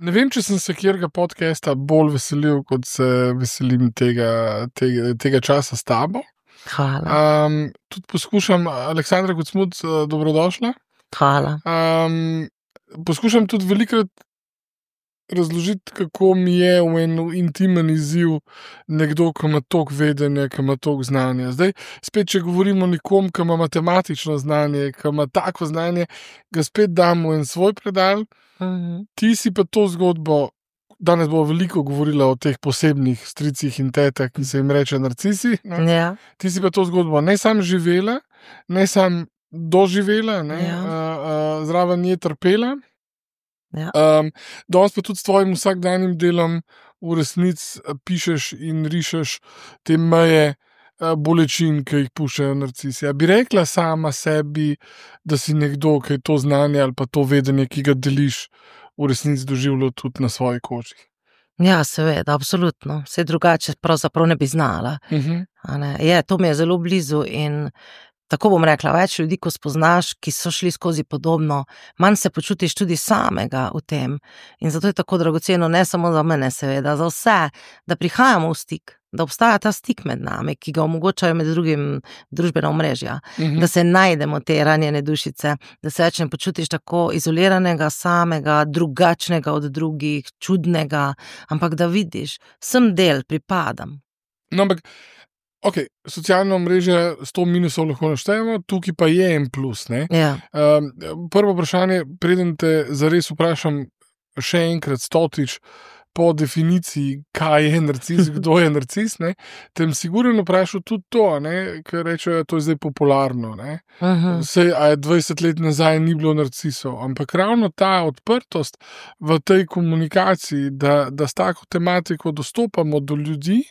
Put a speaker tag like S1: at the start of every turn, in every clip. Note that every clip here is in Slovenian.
S1: Ne vem, če sem se kjerga podcasta bolj veselil, kot se veselim tega časa s tabo.
S2: Hvala.
S1: Tudi poskušam, Aleksandra Gucmud, dobrodošla.
S2: Hvala.
S1: Poskušam tudi velikrat razložiti, kako mi je v en intimen izziv nekdo, ki ima toliko vedenja, ki ima toliko znanja. Zdaj, spet, če govorimo o nekom, ki ima matematično znanje, ki ima tako znanje, ga spet dam v en svoj predal. Ti si pa to zgodbo, danes bo veliko govorila o teh posebnih stricih in tetah, ki se jim reče narcisi.
S2: Ja.
S1: Ti si pa to zgodbo ne sam živela, ne sam doživela, zraven je trpela.
S2: Ja.
S1: Danes pa tudi s tvojim vsakdanjim delom v resnici pišeš in rišeš te meje bolečin, ki jih puščajo narcisi. A bi rekla sama sebi, da si nekdo, ki je to znanje ali pa to vedenje, ki ga deliš, v resnici doživljal tudi na svoji koži?
S2: Ja, seveda, absolutno. Vse drugače pravzaprav ne bi znala. A ne? To mi je zelo blizu in tako bom rekla, več ljudi, ko spoznaš, ki so šli skozi podobno, manj se počutiš tudi samega v tem. In zato je tako dragoceno, ne samo za mene, seveda, za vse, da prihajamo v stik, da obstaja ta stik med nami, ki ga omogočajo med drugim družbena omrežja, da se najdemo te ranjene dušice, da se več ne počutiš tako izoliranega, samega, drugačnega od drugih, čudnega, ampak da vidiš, sem del, pripadam.
S1: No, ampak ok, socialno omrežje 100 minusov lahko naštejemo, tukaj pa je en plus, ne?
S2: Ja.
S1: Prvo vprašanje, preden te zares vprašam še enkrat stotič po definiciji, kaj je narcis, kdo je narcis, ne? Tem sigurno vprašal tudi to, ne? Ker rečejo, to je zdaj popularno, ne? Sej, a je 20 let nazaj ni bilo narcisov, ampak ravno ta odprtost v tej komunikaciji, da s tako tematiko dostopamo do ljudi,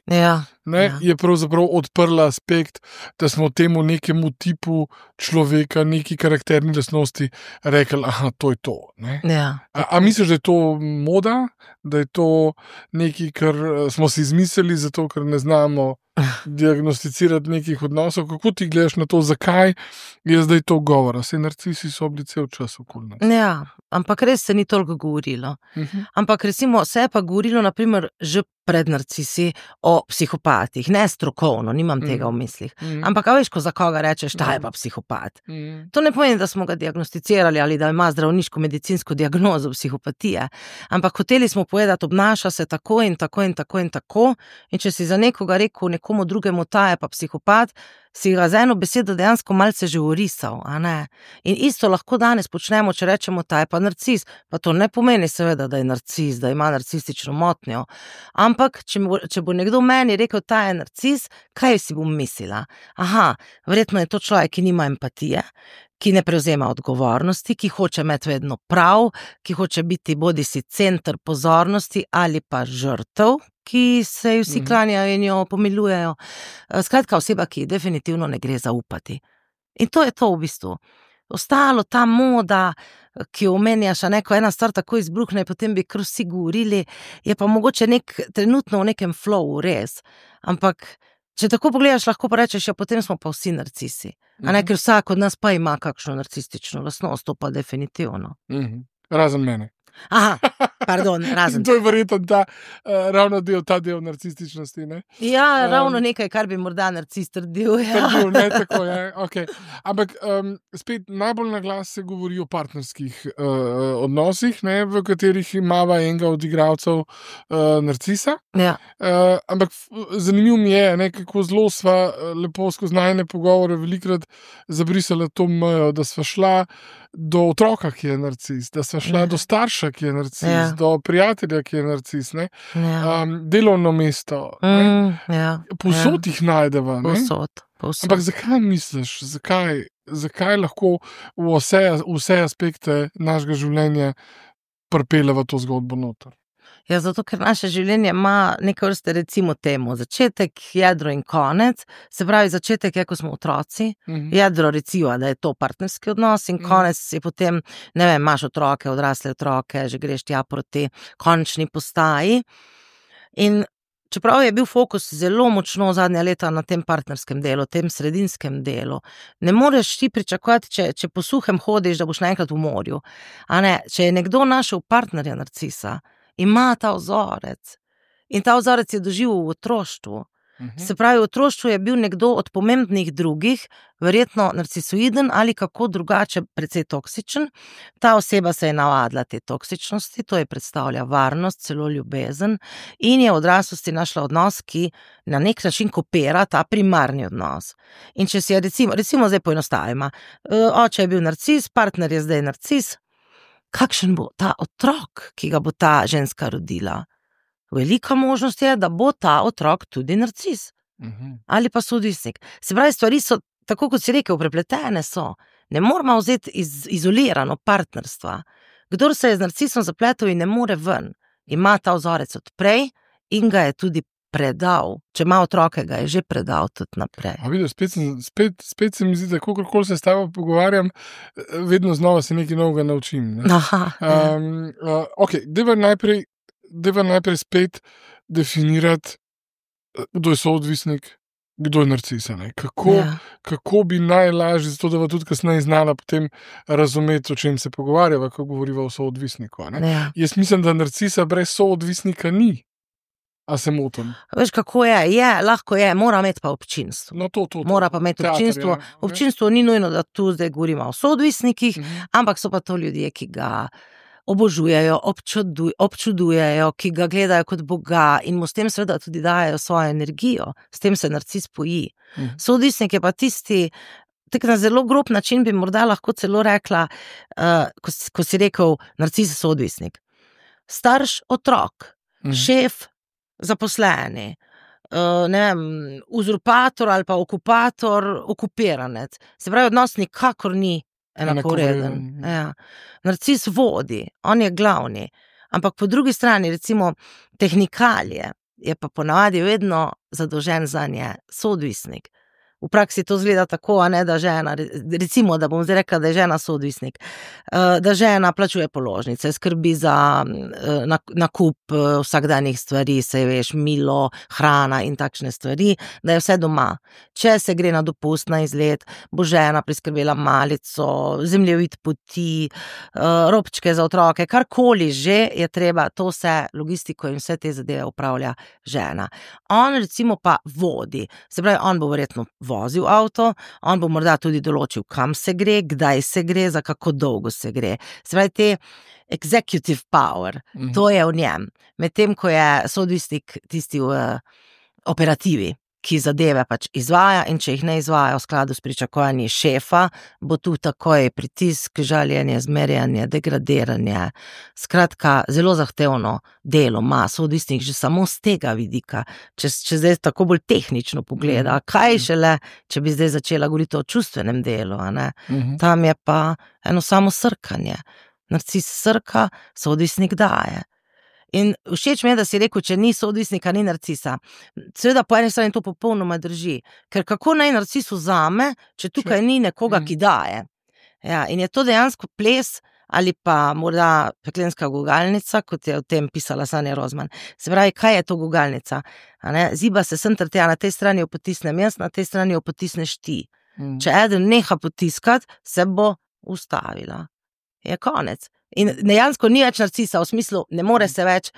S1: je pravzaprav odprla aspekt, da smo temu nekemu tipu človeka, neki karakterni lastnosti rekli, to je to. Ne?
S2: Ja.
S1: A misliš, da je to moda, da je to nekaj, kar smo si izmislili, zato ker ne znamo diagnosticirati nekih odnosov? Kako ti gledaš na to, zakaj je zdaj to govora? Saj narcisi so bili cel čas okoli nas.
S2: Ja, ampak res se ni toliko govorilo. Ampak recimo se je pa govorilo naprimer že pred narcisi o psihopatih, ne strokovno, nimam tega v mislih. Ampak a veš, ko za koga rečeš, ta je pa psihopat. To ne pomeni, da smo ga diagnosticirali ali da ima zdravniško medicinsko diagnozo psihopatije, ampak hoteli smo povedati, obnaša se tako in tako in tako in tako, in če si za nekoga rekel nekomu drugemu, ta je pa psihopat, si ga za eno besedo dejansko malce že orisal, a ne? In isto lahko danes počnemo, če rečemo, ta je pa narcis, pa to ne pomeni seveda, da je narcis, da ima narcistično motnjo, ampak če bo nekdo meni rekel, ta je narcis, kaj si bom mislila? Verjetno je to človek, ki nima empatije, ki ne prevzema odgovornosti, ki hoče imeti vedno prav, ki hoče biti bodisi center pozornosti ali pa žrtev, ki se vsi klanjajo in jo pomilujejo. Skratka, oseba, ki definitivno ne gre zaupati. In to je to v bistvu. Ostalo, ta moda, ki jo omenjaš, ko ena stvar tako izbruhne, potem bi kar vsi govorili, je pa mogoče trenutno v nekem flowu, res. Ampak če tako pogledaš, lahko pa rečeš, potem smo pa vsi narcisi. Ker vsak od nas pa ima kakšno narcistično lastnost, to pa definitivno.
S1: Razen mene.
S2: Pardon, razen.
S1: To je verjetno ravno ta del narcističnosti, ne?
S2: Ja, ravno nekaj, kar bi morda narcis trdil.
S1: Trdil, ne, tako je, okej. Ampak spet najbolj na glas se govori o partnerskih odnosih, ne, v katerih imava enega od igralcev narcisa.
S2: Ja.
S1: Ampak zanimivo mi je, ne, kako zelo sva lepo skozi najine pogovore velikrat zabrisala to mejo, da sva šla do otroka, ki je narcis, da sva šla do starša, ki je narcis, do prijatelja, ki je narcis, ne? Delovno mesto. Povsod jih najdeva.
S2: Povsod.
S1: Ampak zakaj misliš, zakaj lahko v vse aspekte našega življenja pripeljeva to zgodbo noter?
S2: Ja, zato, ker naše življenje ima neke vrste, recimo temu, začetek, jedro in konec. Se pravi, začetek je, ko smo otroci, jedro recimo, da je to partnerski odnos in konec je potem, ne vem, imaš otroke, odrasle otroke, že greš tja proti končni postaji. In čeprav je bil fokus zelo močno zadnja leta na tem partnerskem delu, tem sredinskem delu, ne moreš ti pričakovati, če po suhem hodiš, da boš naenkrat v morju. A ne, če je nekdo našel partnerja narcisa ima ta vzorec. In ta vzorec je doživel v otroštvu. Se pravi, v otroštvu je bil nekdo od pomembnih drugih, verjetno narcisoiden ali kako drugače precej toksičen. Ta oseba se je navadila te toksičnosti, to je predstavlja varnost, celo ljubezen in je v odraslosti našla odnos, ki na nek način kopira ta primarni odnos. In če si je recimo zdaj poenostavimo, oče je bil narcis, partner je zdaj narcis, kakšen bo ta otrok, ki ga bo ta ženska rodila? Velika možnost je, da bo ta otrok tudi narcis. Ali pa soodvisnik. Se pravi, stvari so, tako kot si rekel, prepletene so. Ne moramo vzeti izolirano partnerstva. Kdor se je z narcisom zapletel in ne more ven, ima ta vzorec od prej in ga je tudi predal. Če ima otroke, ga je že predal tudi naprej.
S1: Vidiš, spet se mi zdi, da kakorkoli se s tabo pogovarjam, vedno znova se nekaj novega naučim. Ne? Ok, deva najprej spet definirati, kdo je soodvisnik, kdo je narcis. Kako bi najlažje, zato da bo tudi kasneje znala potem razumeti, o čem se pogovarjava, ko govoriva o soodvisniku. Jaz mislim, da narcisa brez soodvisnika ni. A se motim?
S2: Veš, kako je, lahko je, mora imeti pa občinstvo.
S1: No, to.
S2: Mora pa imeti občinstvo. Občinstvo ni nujno, da tu zdaj govorimo o soodvisnikih, ampak so pa to ljudje, ki ga obožujejo, občudujejo, ki ga gledajo kot Boga in mu s tem seveda tudi dajo svojo energijo. S tem se narcis poji. Soodvisnik je pa tisti, tako na zelo grob način bi morda lahko celo rekla, ko si rekel, narcis je soodvisnik. Starš, otrok, šef, zaposleni, ne vem, uzurpator ali pa okupator, okupiranec. Se pravi, odnos nikakor ni enakovreden. Ja. Narcis vodi, on je glavni. Ampak po drugi strani, recimo, tehnikalije, je pa ponavadi vedno zadolžen zanje soodvisnik. V praksi to izgleda tako, a ne, da žena, recimo, da bom zdaj rekla, da je žena soodvisnik, da žena plačuje položnice, skrbi za nakup vsakdanjih stvari, se veš, milo, hrana in takšne stvari, da je vse doma. Če se gre na dopust, na izlet, bo žena priskrbela malico, zemljevid poti, robčke za otroke, karkoli že je treba, to vse logistiko in vse te zadeve upravlja žena. On recimo pa vodi, se pravi, on bo verjetno vozil avto, on bo morda tudi določil, kam se gre, kdaj se gre, za kako dolgo se gre. Se pravi, te executive power, to je v njem. Medtem, ko je soodvisnik tisti v operativi, ki zadeve pač izvaja in če jih ne izvaja v skladu s pričakovanji šefa, bo tu takoj pritisk, žaljenje, zmerjanje, degradiranje. Skratka, zelo zahtevno delo ima soodvisnik že samo z tega vidika. Če zdaj tako bolj tehnično pogleda, kaj šele, če bi zdaj začela govoriti o čustvenem delu, a ne? Tam je pa eno samo srkanje. Narcis srka, soodvisnik daje. In všeč mi je, da si rekel, če ni soodvisnika, ni narcisa. Seveda po eni strani to popolnoma drži, ker kako naj narcis vzame, če tukaj ni nekoga, ki daje. Ja, in je to dejansko ples ali pa morda peklenska gugalnica, kot je o tem pisala Sanja Rozman. Se pravi, kaj je to gugalnica? Ziba se sem ter tja, na tej strani jo potisnem jaz, na tej strani jo potisneš ti. Če eden neha potiskati, se bo ustavila. Je konec. In dejansko ni več narcisa, v smislu, ne more se več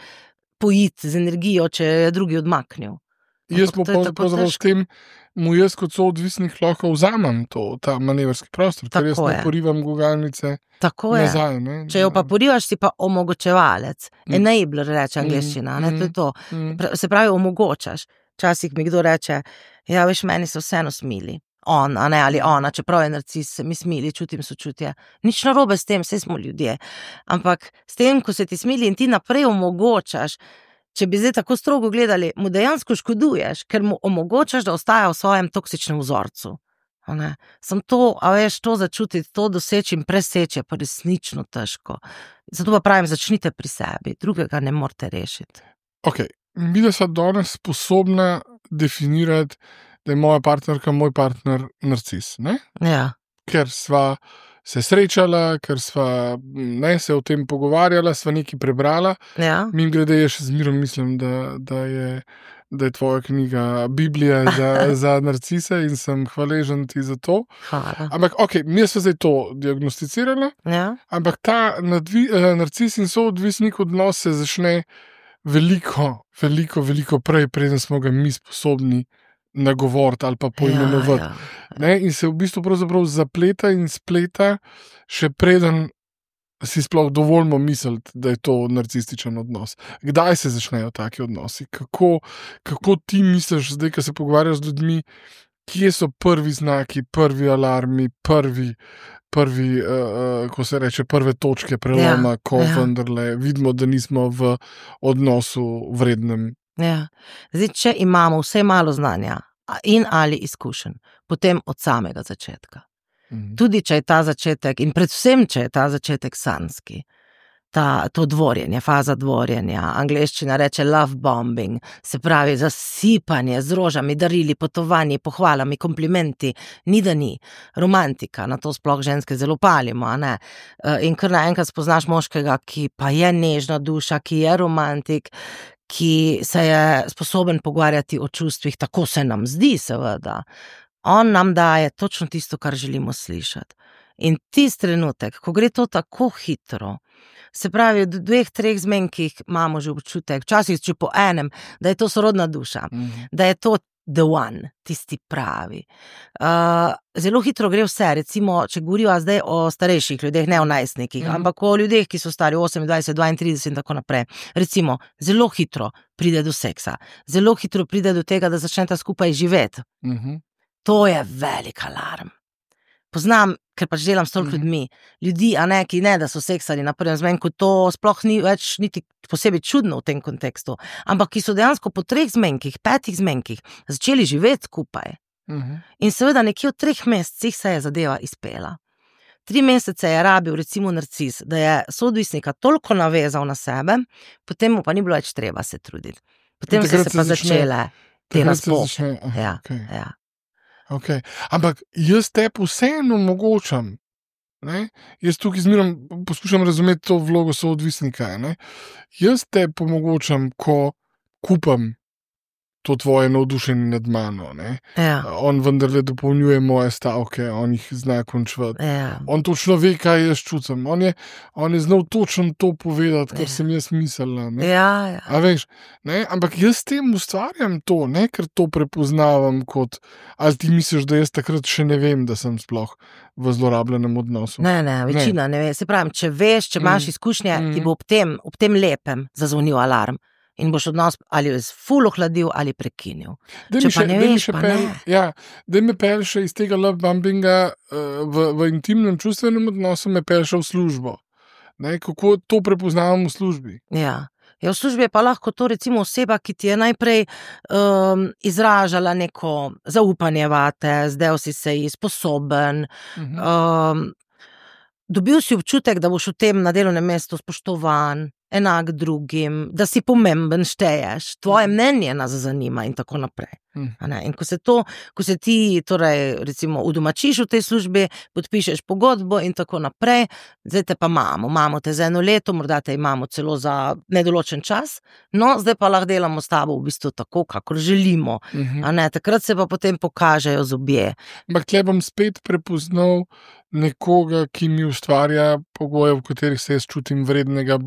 S2: pojiti z energijo, če je drugi odmaknil.
S1: Jaz pa pravzaprav s tem, mu jaz kot soodvisnik lahko vzamem ta manevrski prostor, ker jaz ne porivam gugalnice nazaj. Ne?
S2: Če jo pa porivaš, si pa omogočevalec. Enabler reče angleščina, to je to. Se pravi, omogočaš. Včasih mi kdo reče, ja, veš, meni se vseeno smili. On, a ne, ali ona, čeprav je narcis, se mi smili, čutim sočutje. Nič narobe s tem, saj smo ljudje. Ampak s tem, ko se ti smili in ti naprej omogočaš, če bi zdaj tako strogo gledali, mu dejansko škoduješ, ker mu omogočaš, da ostaja v svojem toksičnem vzorcu. Sem to, a veš, to začutiti, to doseči in preseči, pa resnično težko. Zato pa pravim, začnite pri sebi, drugega ne morete rešiti.
S1: Ok, mi da sva danes sposobna definirati, da je moja partnerka, moj partner narcis, ne?
S2: Ja.
S1: Ker sva se srečala, ker sva se o tem pogovarjala, sva nekaj prebrala.
S2: Ja.
S1: Mimogrede, jaz še zmerom mislim, da je da je tvoja knjiga Biblija za narcise in sem hvaležen ti za to.
S2: Hvala.
S1: Ampak, mi smo zdaj to diagnosticirali, ampak ta narcis in soodvisnik odnos se začne veliko prej, preden smo ga mi sposobni nagovoriti ali pa poimenovati. In se v bistvu pravzaprav zapleta in spleta, še preden si sploh dovoljmo misliti, da je to narcističen odnos. Kdaj se začnejo taki odnosi? Kako ti misliš, zdaj, ko se pogovarjaš z ljudmi, kje so prvi znaki, prvi alarmi, prvi ko se reče, prve točke preloma, ko vendarle vidimo, da nismo v odnosu vrednem.
S2: Zdaj, če imamo vse malo znanja in ali izkušenj, potem od samega začetka. Tudi, če je ta začetek, in predvsem, če je ta začetek sanjski, to dvorjenje, faza dvorjenja, angleščina reče love bombing, se pravi zasipanje z rožami, darili, potovanji, pohvalami, komplimenti, ni da ni. Romantika, na to sploh ženske zelo palimo, a ne? In kar naenkrat spoznaš moškega, ki pa je nežna duša, ki je romantik, ki se je sposoben pogovarjati o čustvih, tako se nam zdi, seveda. On nam daje točno tisto, kar želimo slišati. In tisti trenutek, ko gre to tako hitro, se pravi, v 2-3 zmenkih imamo že občutek, včasih če po enem, da je to sorodna duša, da je to the one, tisti pravi. Zelo hitro gre vse, recimo, če govoriva zdaj o starejših ljudeh, ne o najstnikih, ampak o ljudeh, ki so stari 28, 32 in tako naprej. Recimo, zelo hitro pride do seksa, zelo hitro pride do tega, da začneta skupaj živeti. To je velik alarm. Poznam, ker pač delam s toliko ljudi, a ne, ki ne, da so seksali na prvem zmenku, to sploh ni več niti posebej čudno v tem kontekstu, ampak ki so dejansko po 3 zmenkih, 5 zmenkih začeli živeti skupaj. In seveda nekje v 3 mesecih se je zadeva izpela. 3 mesece je rabil recimo narcis, da je soodvisnika toliko navezal na sebe, potem mu pa ni bilo več treba se truditi. Potem so se pa začele te razpoke.
S1: Ampak jaz tebi vseeno omogočam, jaz tukaj zmerom poskušam razumeti to vlogo soodvisnika, jaz tebi omogočam, ko kupam to tvoje navdušenje nad mano, on vendarle dopolnjuje moje stavke, on jih zna končevati, on točno ve, kaj jaz čutim, on je znal točno to povedati, kar sem jaz mislila, a veš, ampak jaz s tem ustvarjam to, ker to prepoznavam kot, ali ti misliš, da jaz takrat še ne vem, da sem sploh v zlorabljenem odnosu.
S2: Ne, večina ne ve, se pravim, če veš, če imaš izkušnje, ti bo ob tem lepem zazvonil alarm. In boš odnos ali ful ohladil ali prekinil. Če pa ne veš, pa ne.
S1: Da me pelše iz tega love bombinga v intimnem čustvenem odnosu, me pelše v službo. Kako to prepoznavam v službi?
S2: Ja, v službi je pa lahko to recimo oseba, ki ti je najprej izražala neko zaupanje vate, zdaj si se ji sposoben, dobil si občutek, da boš v tem na delovnem mestu spoštovan, enak drugim, da si pomemben, šteješ, tvoje mnenje nas zanima in tako naprej. In ko se ti torej recimo udomačiš v tej službi, podpišeš pogodbo in tako naprej, zdaj te pa imamo te za 1 leto, morda te imamo celo za nedoločen čas, no, zdaj pa lahko delamo s tabo v bistvu tako, kakor želimo, takrat se pa potem pokažejo zobje.
S1: Ampak tle bom spet prepoznal nekoga, ki mi ustvarja pogoje, v katerih se jaz čutim vrednega,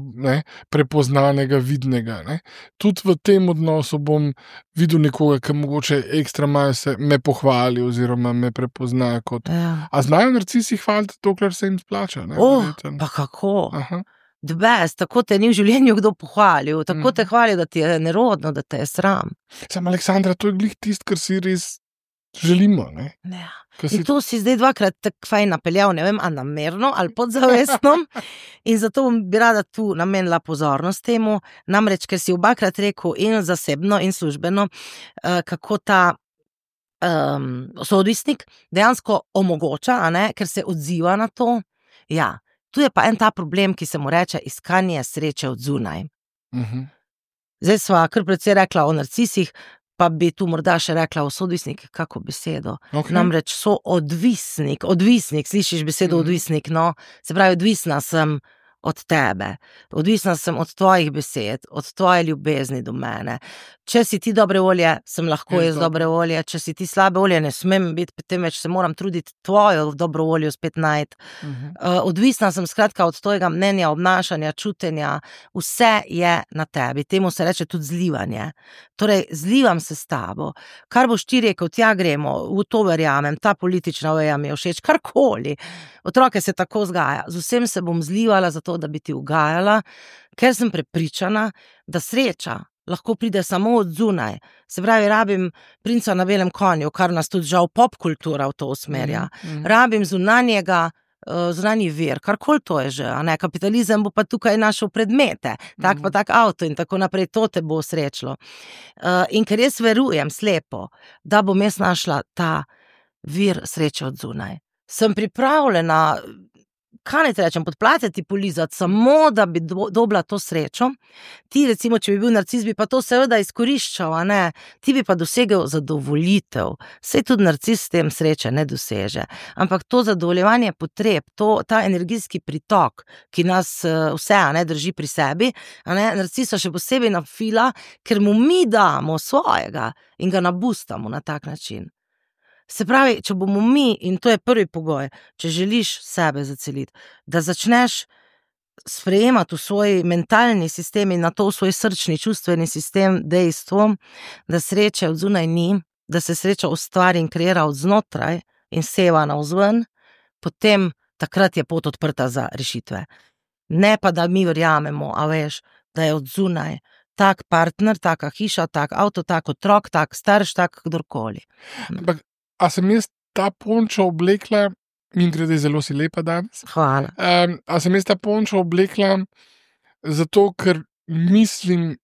S1: prepoznanega, vidnega. Tudi v tem odnosu bom videl nekoga, ki mogoče ekstra malo se me pohvali oziroma me prepozna kot... A znajo narcisi hvaliti, dokler se jim splača?
S2: Pa kako? The best, tako te ni v življenju kdo pohvalil, tako te hvali, da ti je nerodno, da te je sram.
S1: Sam, Aleksandra, to je glih tist, kar si res želimo,
S2: In to si zdaj 2-krat tako fajn napeljal, ne vem, a namerno ali podzavestno, in zato bi rada tu namenila pozornost temu, namreč, ker si 2-krat rekel in zasebno in službeno, kako ta soodvisnik dejansko omogoča, ker se odziva na to. Ja, tu je pa en ta problem, ki se mu reče iskanje sreče od zunaj. Zdaj sva kar precej rekla o narcisih, pa bi tu morda še rekla o soodvisnik, kako besedo. Namreč soodvisnik, slišiš besedo odvisnik, no, se pravi, odvisna sem od tebe, odvisna sem od tvojih besed, od tvoje ljubezni do mene. Če si ti dobre volje, sem lahko jaz dobre volje, če si ti slabe volje, ne smem biti, temveč se moram truditi tvojo dobro voljo spet najti. Odvisna sem skratka od tvojega mnenja, obnašanja, čutenja, vse je na tebi, temu se reče tudi zlivanje. Torej, zlivam se s tabo, kar boš ti rekel, tja gremo, v to verjamem, ta politična veja mi je všeč, karkoli. Otroke se tako vzgaja, z vsem se bom zlivala zato, da bi ti ugajala, ker sem prepričana, da sreča lahko pride samo od zunaj. Se pravi, rabim princa na belem konju, kar nas tudi žal popkultura v to usmerja. Rabim zunanji vir, karkoli to je že, a ne, kapitalizem bo pa tukaj našel predmete, tak pa tak avto in tako naprej, to te bo srečilo. In ker jaz verujem slepo, da bom jaz našla ta vir sreče od zunaj. Sem pripravljena, kaj naj te rečem, podplatiti, polizati, samo da bi dobila to srečo. Ti recimo, če bi bil narcis, bi pa to seveda izkoriščal, a ne, ti bi pa dosegel zadovoljitev. Sej tudi narcis s tem sreče ne doseže. Ampak to zadovoljevanje potreb, ta energijski pritok, ki nas vse, a ne, drži pri sebi, a ne, narcisa še posebej nafila, ker mu mi damo svojega in ga nabustamo na tak način. Se pravi, če bomo mi, in to je prvi pogoj, če želiš sebe zaceliti, da začneš sprejemati v svoj mentalni sistem in na to v svoj srčni čustveni sistem dejstvo, da sreče od zunaj ni, da se sreča ustvari in kreira od znotraj in seva navzven, potem takrat je pot odprta za rešitve. Ne pa, da mi verjamemo, a veš, da je od zunaj tak partner, taka hiša, tak avto, tak otrok, tak starš, tak kdorkoli.
S1: Ampak a sem jaz ta pončo oblekla, in grede zelo si lepa danes.
S2: Hvala.
S1: A sem jaz ta pončo oblekla zato, ker mislim,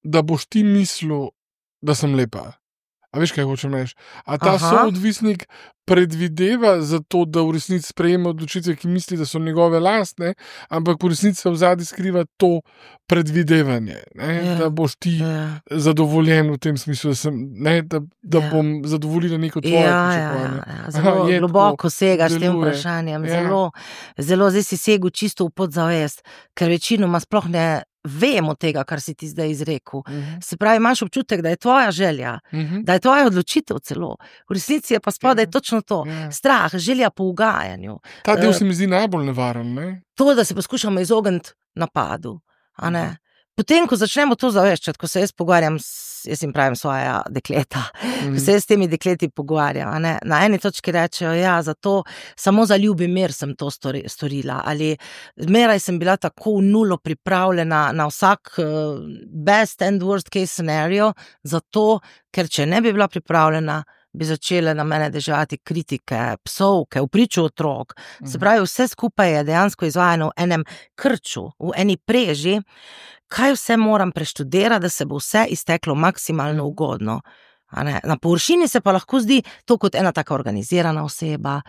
S1: da boš ti mislil, da sem lepa. A veš, kaj hočem reči? A ta soodvisnik predvideva za to, da v resnici sprejema odločitve, ki misli, da so njegove lastne, ampak v resnici se v zadnji skriva to predvidevanje, ne? Da boš ti zadovoljen v tem smislu, da bom zadovoljila neko tvoje pričakovanje.
S2: Zelo globoko segaš s tem vprašanjem, zelo zdaj si segel čisto v podzavest, ker večinoma sploh ne vemo tega, kar si ti zdaj izrekel. Se pravi, imaš občutek, da je tvoja želja, da je tvoja odločitev celo. V resnici je pa spodaj točno to. Strah, želja po ugajanju.
S1: Ta del se mi zdi najbolj nevaren, ne?
S2: To, da se poskušamo izogniti napadu, a ne? Potem, ko začnemo to zaveščati, ko se jaz pogovarjam, jaz jim pravim svoja dekleta, ko se jaz s temi dekleti pogovarjam, a ne, na eni točki rečejo, zato samo za ljubi mir sem to storila, ali zmeraj sem bila tako v nulo pripravljena na vsak best and worst case scenario, zato, ker če ne bi bila pripravljena, bi začele na mene deževati kritike, psovke, v priču otrok. Se pravi, vse skupaj je dejansko izvajano v enem krču, v eni preži, kaj vse moram preštudirati, da se bo vse izteklo maksimalno ugodno. Na površini se pa lahko zdi to kot ena taka organizirana oseba,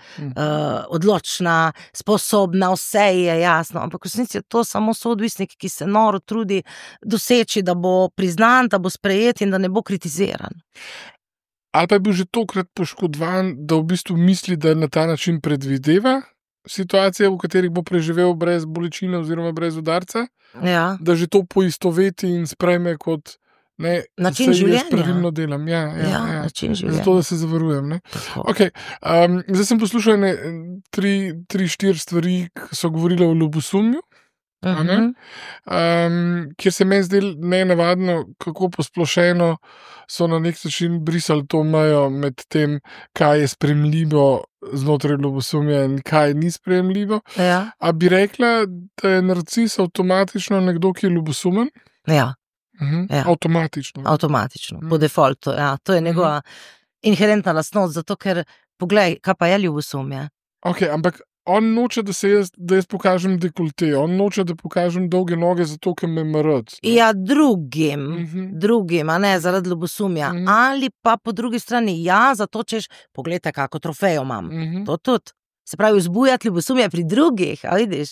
S2: odločna, sposobna, vse je jasno, ampak v resnici je to samo soodvisnik, ki se noro trudi doseči, da bo priznan, da bo sprejet in da ne bo kritiziran.
S1: Ali pa je bil že tokrat poškodovan, da v bistvu misli, da na ta način predvideva situacije, v katerih bo preživel brez bolečine oziroma brez udarca, da že to poistoveti in sprejme kot
S2: način življenja.
S1: Pravilno delam.
S2: Način življenja.
S1: Zato, da se zavarujem. Okay. Zdaj sem poslušal 3-4 stvari, ki so govorile o ljubosumju, kjer se meni zdelo nenavadno, kako posplošeno so na nek način brisali to mejo med tem, kaj je sprejemljivo znotraj ljubosumja in kaj ni sprejemljivo. A bi rekla, da je narcis avtomatično nekdo, ki je ljubosumen? Avtomatično.
S2: Avtomatično, po defaultu, to je njegova inherentna lastnost, zato ker, poglej, kaj pa je ljubosumje?
S1: Ok, ampak on noče, da jaz pokažem dekolte, on noče, da pokažem dolge noge, zato ker me mrad.
S2: Drugim, a ne, zaradi ljubosumja. Ali pa po drugi strani, zato češ, pogledajte, kako trofejo imam. To tudi. Se pravi, vzbujati ljubosumje pri drugih, a vidiš?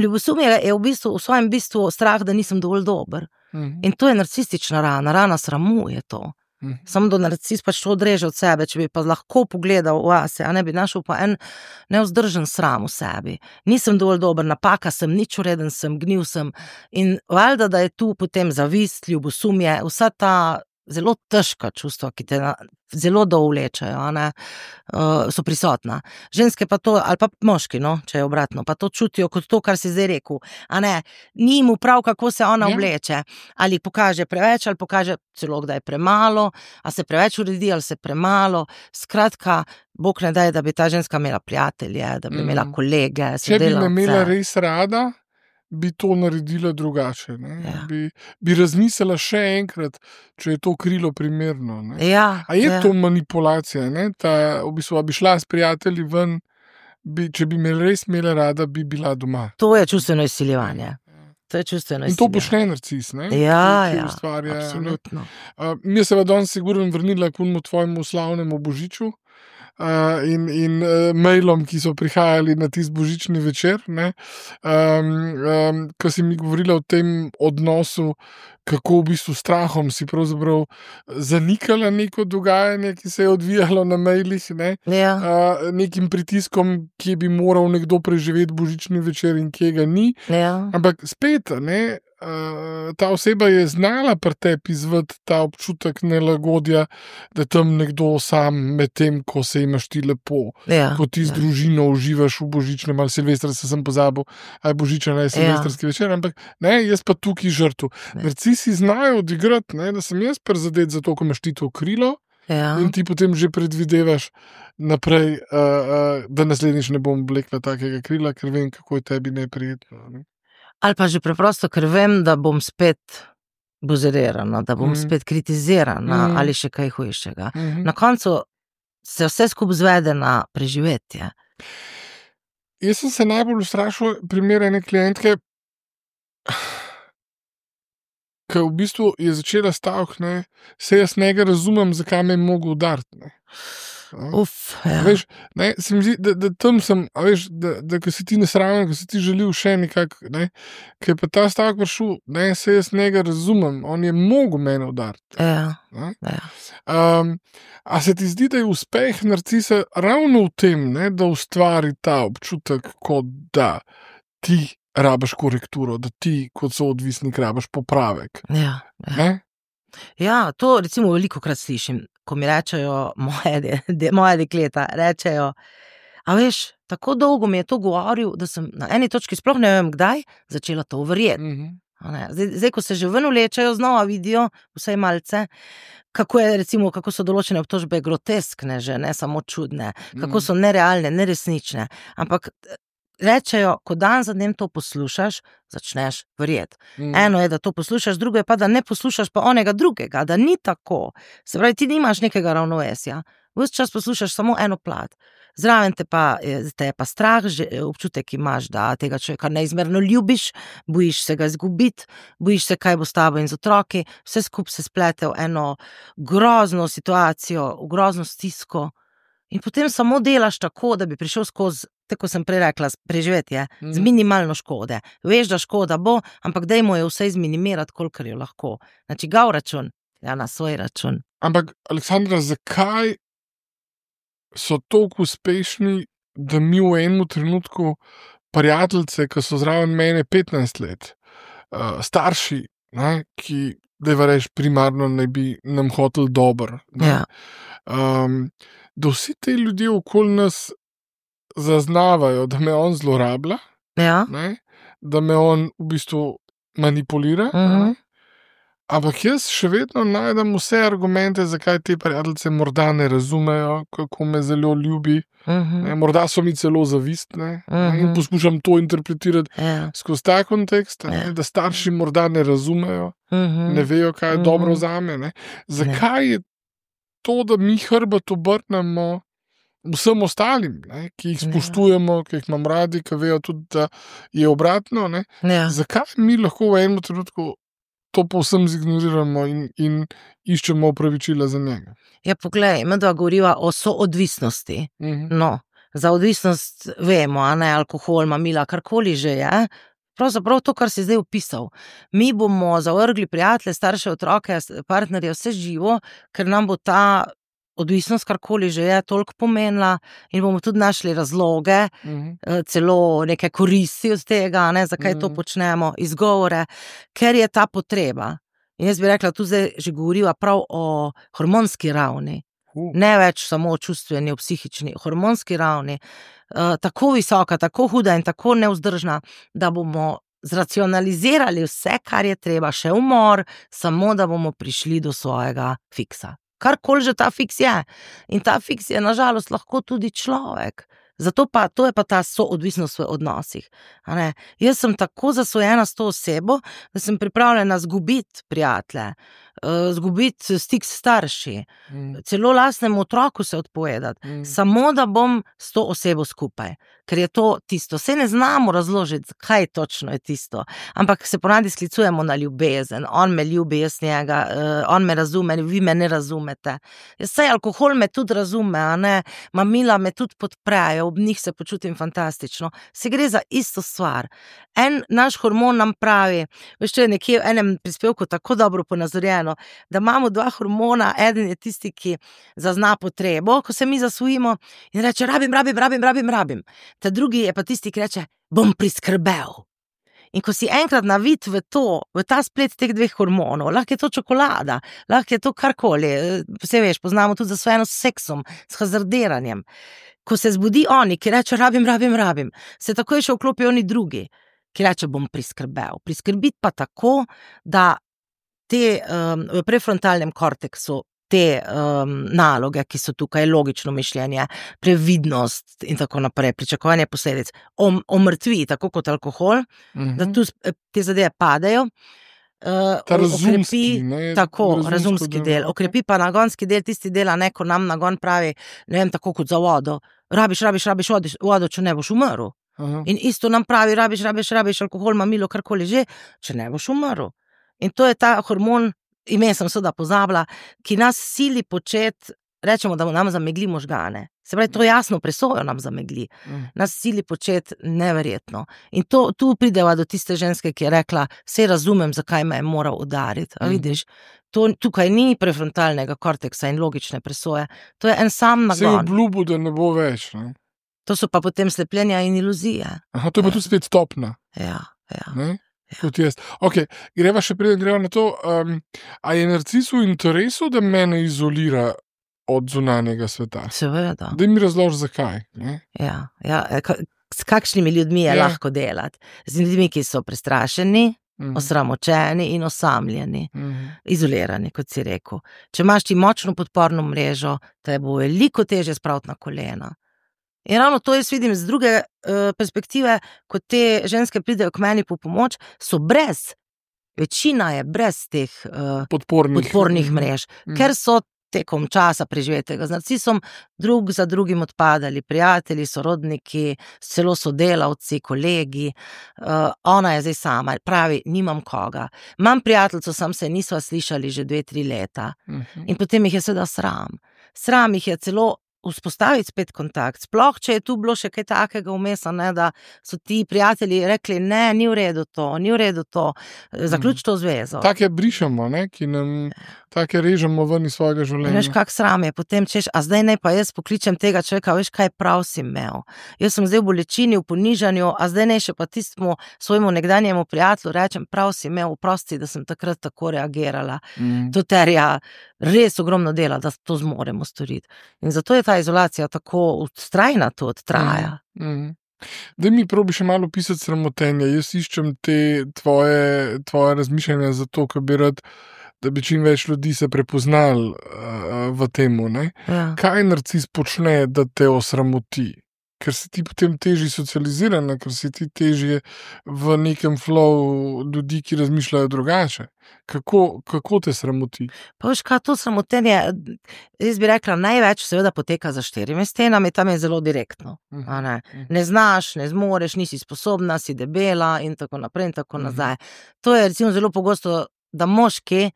S2: Ljubosumje je v svojem bistvu strah, da nisem dovolj dober. In to je narcistična rana sramu je to. Samo do narcis pač to odreže od sebe, če bi pa lahko pogledal vase, a ne bi našel pa en nevzdržen sram v sebi. Nisem dovolj dober, napaka sem, nič ureden sem, gnil sem in valjda, da je tu potem zavist, ljubosumje, vsa ta zelo težka čustva, ki te zelo dovlečajo, so prisotna. Ženske pa to, ali pa moški, če je obratno, pa to čutijo kot to, kar si zdaj rekel. Ni mu prav, kako se ona obleče. Ali pokaže preveč, ali pokaže celo, kdaj premalo, a se preveč uredi, ali se premalo. Skratka, Bog ne daj, da bi ta ženska imela prijatelje, da bi imela kolege,
S1: sodelavce. Če bi me imela res rada, bi to naredila drugače. Bi razmislila še enkrat, če je to krilo primerno. A je to manipulacija? V bistvu, bi šla s prijatelji ven, če bi me res imela rada, bi bila doma.
S2: To je čustveno izsiljevanje.
S1: In to počne narcis,
S2: ki ustvarja. Absolutno.
S1: Mi se danes sigurno vrnila k tvojemu slavnemu Božiču. In mailom, ki so prihajali na tisti božični večer, ko si mi govorila o tem odnosu, kako v bistvu strahom si pravzaprav zanikala neko dogajanje, ki se je odvijalo na mailih, nekim pritiskom, ki bi moral nekdo preživeti božični večer in kje ga ni. Ampak spet, ta oseba je znala pri tebi izvati ta občutek nelagodja, da tam nekdo sam med tem, ko se imaš ti lepo, ko ti z družino uživaš v božičnem ali silvestra, se sem pozabil, ali božičen ali silvestrski večer, ampak jaz pa tukaj žrtev. Narcisi znajo odigrati, da sem jaz prizadet za to, ko imaš ti to krilo in ti potem že predvidevaš naprej, da naslednjič ne bom oblekla takega krila, ker vem, kako je tebi neprijetno.
S2: Ali pa že preprosto, ker vem, da bom spet buzerirana, da bom spet kritizirana ali še kaj hujšega. Na koncu se vse skupaj zvede na preživetje.
S1: Jaz sem se najbolj ustrašil primer ene klientke, ki v bistvu je začela stavek, se jaz ne razumem, zakaj me je mogel udariti. Veš, se mi zdi, da tam sem, da ko si ti nesramen, ko si ti želil še nekako, ker je pa ta stavek prišel, se jaz ne razumem, on je mogel mene udariti. A se ti zdi, da je uspeh narcisa ravno v tem, da ustvari ta občutek, kot da ti rabiš korekturo, da ti kot soodvisnik rabiš popravek?
S2: Ja, to recimo velikokrat slišim, ko mi rečejo moja dekleta, rečejo, a veš, tako dolgo mi je to govoril, da sem na eni točki, sploh ne vem kdaj, začela to verjeti. Zdaj, ko se že ven vlečajo, znova vidijo, vsaj malce, kako so določene obtožbe groteskne že, ne samo čudne, kako so nerealne, neresnične, ampak rečejo, ko dan za dnem to poslušaš, začneš verjeti. Eno je, da to poslušaš, drugo je pa, da ne poslušaš pa onega drugega, da ni tako. Se pravi, ti nimaš nekega ravnovesja. Ves čas poslušaš samo eno plat. Zraven te je pa strah, občutek imaš, da tega človeka neizmerno ljubiš, bojiš se ga izgubiti, bojiš se, kaj bo s tabo in z otroki, vse skupaj se splete v eno grozno situacijo, v grozno stisko. In potem samo delaš tako, da bi prišel skozi, tako sem prej rekla, preživetje, z minimalno škode. Veš, da škoda bo, ampak dajmo jo vse izminimirati, kolikor jo lahko. Na čigav račun? Ja, na svoj račun.
S1: Ampak, Aleksandra, zakaj so toliko uspešni, da mi v enem trenutku prijateljice, ki so zraven mene 15 let, starši, ki, da rečeš, primarno naj bi nam hoteli dobro. Da vsi te ljudje okoli nas zaznavajo, da me on zlorablja, da me on v bistvu manipulira, ampak jaz še vedno najdem vse argumente, zakaj te prijateljice morda ne razumejo, kako me zelo ljubi, morda so mi celo zavistne, in poskušam to interpretirati skozi ta kontekst, da starši morda ne razumejo, ne vejo, kaj je dobro zame. Zakaj je to, da mi hrbet obrnemo vsem ostalim, ki jih spoštujemo, ki jih imam radi, ki vejo tudi, da je obratno, zakaj mi lahko v enem trenutku to povsem zignoriramo in iščemo opravičila za njega?
S2: Ja, poglej, medva govoriva o soodvisnosti. Za odvisnost vemo, alkohol, mamila, karkoli že je, pravzaprav to, kar si zdaj opisal. Mi bomo zavrgli prijatelje, starše, otroke, partnerje, vse živo, ker nam bo ta odvisnost, karkoli že je, toliko pomenila in bomo tudi našli razloge, celo neke koristi od tega, ne, zakaj to počnemo, izgovore, ker je ta potreba. In jaz bi rekla, tu zdaj že govoriva prav o hormonski ravni. Ne več samo o čustveni, o psihični, o hormonski ravni. Tako visoka, tako huda in tako nevzdržna, da bomo zracionalizirali vse, kar je treba, še umor, samo da bomo prišli do svojega fiksa. Karkoli že ta fiks je. In ta fiks je nažalost lahko tudi človek. Zato pa, to je pa ta soodvisnost v odnosih. Jaz sem tako zasvojena s to osebo, da sem pripravljena zgubiti prijatelje, zgubiti stik s starši, celo lastnemu otroku se odpovedati, samo da bom s to osebo skupaj. Ker je to tisto. Saj ne znamo razložiti, kaj točno je tisto, ampak se ponavadi sklicujemo na ljubezen. On me ljubi, jaz njega, on me razume, vi me ne razumete. Saj alkohol me tudi razume, a ne, mamila me tudi podprejo, ob njih se počutim fantastično. Se gre za isto stvar. En naš hormon nam pravi, veš, če je nekje v enem prispevku tako dobro ponazorjeno, da imamo dva hormona, eden je tisti, ki zazna potrebo, ko se mi zasvojimo in reče, rabim. Ta drugi je pa tisti, ki reče, bom priskrbel. In ko si enkrat navit v ta splet teh dveh hormonov, lahko je to čokolada, lahko je to karkoli, vse veš, poznamo tudi zasvojeno s seksom, s hazardiranjem. Ko se zbudi oni, ki reče, rabim, se takoj še vklopijo oni drugi, ki reče, bom priskrbel. Priskrbiti pa tako, da te v prefrontalnem korteksu te naloge, ki so tukaj, logično mišljenje, previdnost in tako naprej, pričakovanje posledic, omrtvi, tako kot alkohol, da tu te zadeve padejo.
S1: Ta razumski,
S2: razumski del. Okrepi pa nagonski del, tisti dela, ne, ko nam nagon pravi, ne vem, tako kot za vodo. Rabiš vodo, če ne boš umrl. In isto nam pravi, rabiš alkohol, mamilo, karkoli že, če ne boš umrl. In to je ta hormon, ime sem seveda pozabila, ki nas sili početi, rečemo, da nam zamegli možgane. Se pravi, to jasno presojo nam zamegli. Nas sili početi neverjetno. In tu prideva do tiste ženske, ki je rekla, saj razumem, zakaj me je moral udariti. A vidiš, tukaj ni prefrontalnega korteksa in logične presoje. To je en sam nagon.
S1: Se je obljubil, da ne bo več. Ne?
S2: To so pa potem slepljenja in iluzije.
S1: Aha, to je pa tudi spet stopna.
S2: Ja.
S1: Ne? Kot jaz. Ok, greva na to. A je narcis v interesu, da mene izolira od zunanjega sveta?
S2: Seveda.
S1: Da mi razloži, zakaj. Ne?
S2: Ja. S kakšnimi ljudmi je lahko delati? Z ljudmi, ki so prestrašeni, osramočeni in osamljeni, izolirani, kot si rekel. Če imaš ti močno podporno mrežo, te bo veliko težje spraviti na kolena. In ravno to jaz vidim z druge perspektive, ko te ženske pridejo k meni po pomoč, so večina je brez teh podpornih mrež, ker so tekom časa preživetega z narcisom drug za drugim odpadali, prijatelji, sorodniki, celo sodelavci, kolegi. Ona je zdaj sama, pravi, nimam koga. Imam prijateljco, sam se nisva slišali že 2-3 leta. In potem jih je seveda sram. Sram jih je celo vzpostaviti spet kontakt, sploh, če je tu bilo še kaj takega vmes, ne, da so ti prijatelji rekli, ne, ni v redu to, zaključ to zvezo.
S1: Take brišemo, ne, ki nam take režemo ven iz svojega življenja.
S2: Veš, kak sram je, potem češ, a zdaj naj pa jaz pokličem tega človeka, veš, kaj prav si imel. Jaz sem zdaj v bolečini, v ponižanju, a zdaj naj še pa tistemu svojemu nekdanjemu prijatelju rečem, prav si imel, oprosti, da sem takrat tako reagirala. To terja res ogromno dela, da to zmoremo storiti. In zato je ta izolacija tako vztrajna, to traja.
S1: Da mi probi še malo pisati sramotenje. Jaz iščem te tvoje razmišljanja zato, ker bi rad, da bi čim več ljudi se prepoznali v temu. Ne?
S2: Ja.
S1: Kaj narcis počne, da te osramoti? Ker si ti potem težji socializirana, ker si ti težje v nekem flow ljudi, ki razmišljajo drugače. Kako te sramoti?
S2: Pa veš, kaj to sramotenje, jaz bi rekla, največ seveda poteka za 4 stenami, tam je zelo direktno. Ne znaš, ne zmoreš, nisi sposobna, si debela in tako naprej in tako nazaj. To je recimo zelo pogosto, da moški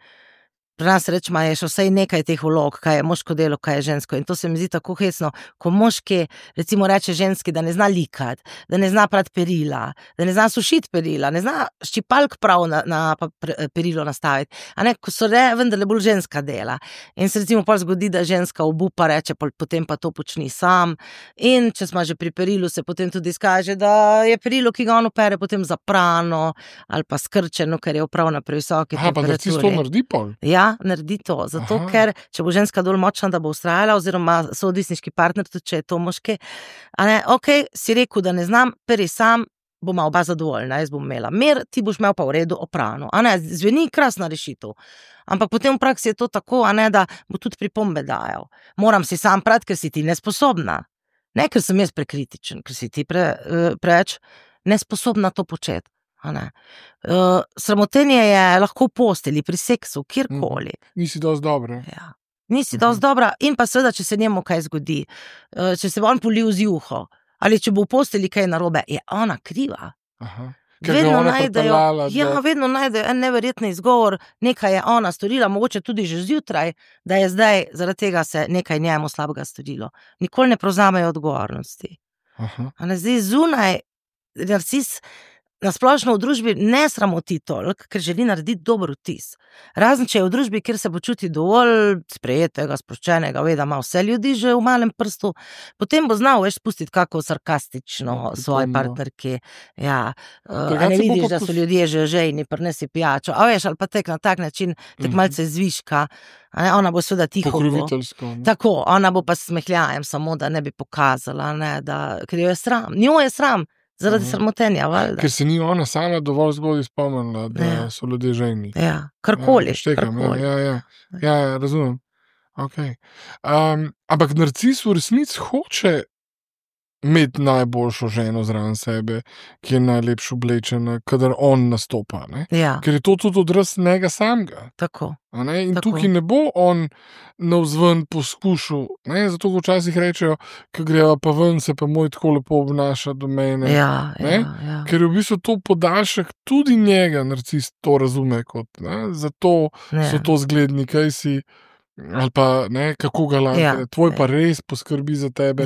S2: pri nas rečemo, je še vsaj nekaj teh vlog, kaj je moško delo, kaj je žensko. In to se mi zdi tako hecno, ko moški, recimo, reče ženski, da ne zna likati, da ne zna prati perila, da ne zna sušiti perila, ne zna ščipalk prav na perilo nastaviti. A ne, ko so vendarle bolj ženska dela. In se recimo pol zgodi, da ženska obupa, reče, potem pa to počni sam. In če smo že pri perilu, se potem tudi izkaže, da je perilo, ki ga on opere, potem zaprano ali pa skrčeno, ker je prav na previsoki temperaturi.
S1: Pa narcis to naredi pol?
S2: Ja, naredi to, zato ker če bo ženska dovolj močna, da bo ustrajala, oziroma soodvisniški partner, tudi če je to moški, a ne, okej, si rekel, da ne znam, peri sam, boma oba zadovoljna, jaz bom imela mir, ti boš imel pa v redu oprano. A ne, zveni krasna rešitev. Ampak potem v praksi je to tako, a ne, da bo tudi pripombe dajal. Moram si sam prati, ker si ti nesposobna. Ne, ker sem jaz prekritičen, ker si ti preveč nesposobna to početi. Sramotenje je lahko v postelji, pri seksu, kjerkoli.
S1: Nisi dosti dobra.
S2: Ja. Nisi dosti dobra in pa seveda, če se njemu kaj zgodi, če se on polil z juho, ali če bo v postelji kaj narobe, je ona kriva. Vedno najdejo en neverjetni izgovor, nekaj je ona storila, mogoče tudi že zjutraj, da je zdaj zaradi tega se nekaj njemu slabega storilo. Nikoli ne prevzamejo odgovornosti. Zdaj zunaj narcis nasplošno v družbi ne sramoti toliko, ker želi narediti dober vtis. Razen če je v družbi, kjer se počuti dovolj sprejetega, sproščenega, ve, da ima vse ljudi že v malem prstu, potem bo znal spustiti kako sarkastično svoji partnerki. Ja, ne vidiš, da so ljudje že žejni, prinesi pijačo, a veš, ali pa tek na tak način, tek malce zviška, ona bo seveda tiho.
S1: Pokroviteljsko.
S2: Tako, ona bo pa smehljajem samo, da ne bi pokazala, ker jo je sram. Njo je sram. Zaradi sramotenja, valjda.
S1: Ker se ni ona sama dovolj zgodaj spomnila, da so ljudje žejni.
S2: Ja, karkoli.
S1: Ja, razumem. Okay. Ampak narcis v resnici hoče imeti najboljšo ženo zraven sebe, ki je najlepše oblečena, kadar on nastopa.
S2: Ja.
S1: Ker je to tudi odraz njega samega.
S2: Tako.
S1: In tukaj ne bo on navzven poskušal, zato ko včasih rečejo, ko greva pa ven, se pa moj tako lepo obnaša do mene.
S2: Ja.
S1: Ker je v bistvu to podaljšek tudi njega, narcis to razume kot. Zato so to zgledni, kaj si, ali pa kako galantne. Tvoj pa res poskrbi za tebe.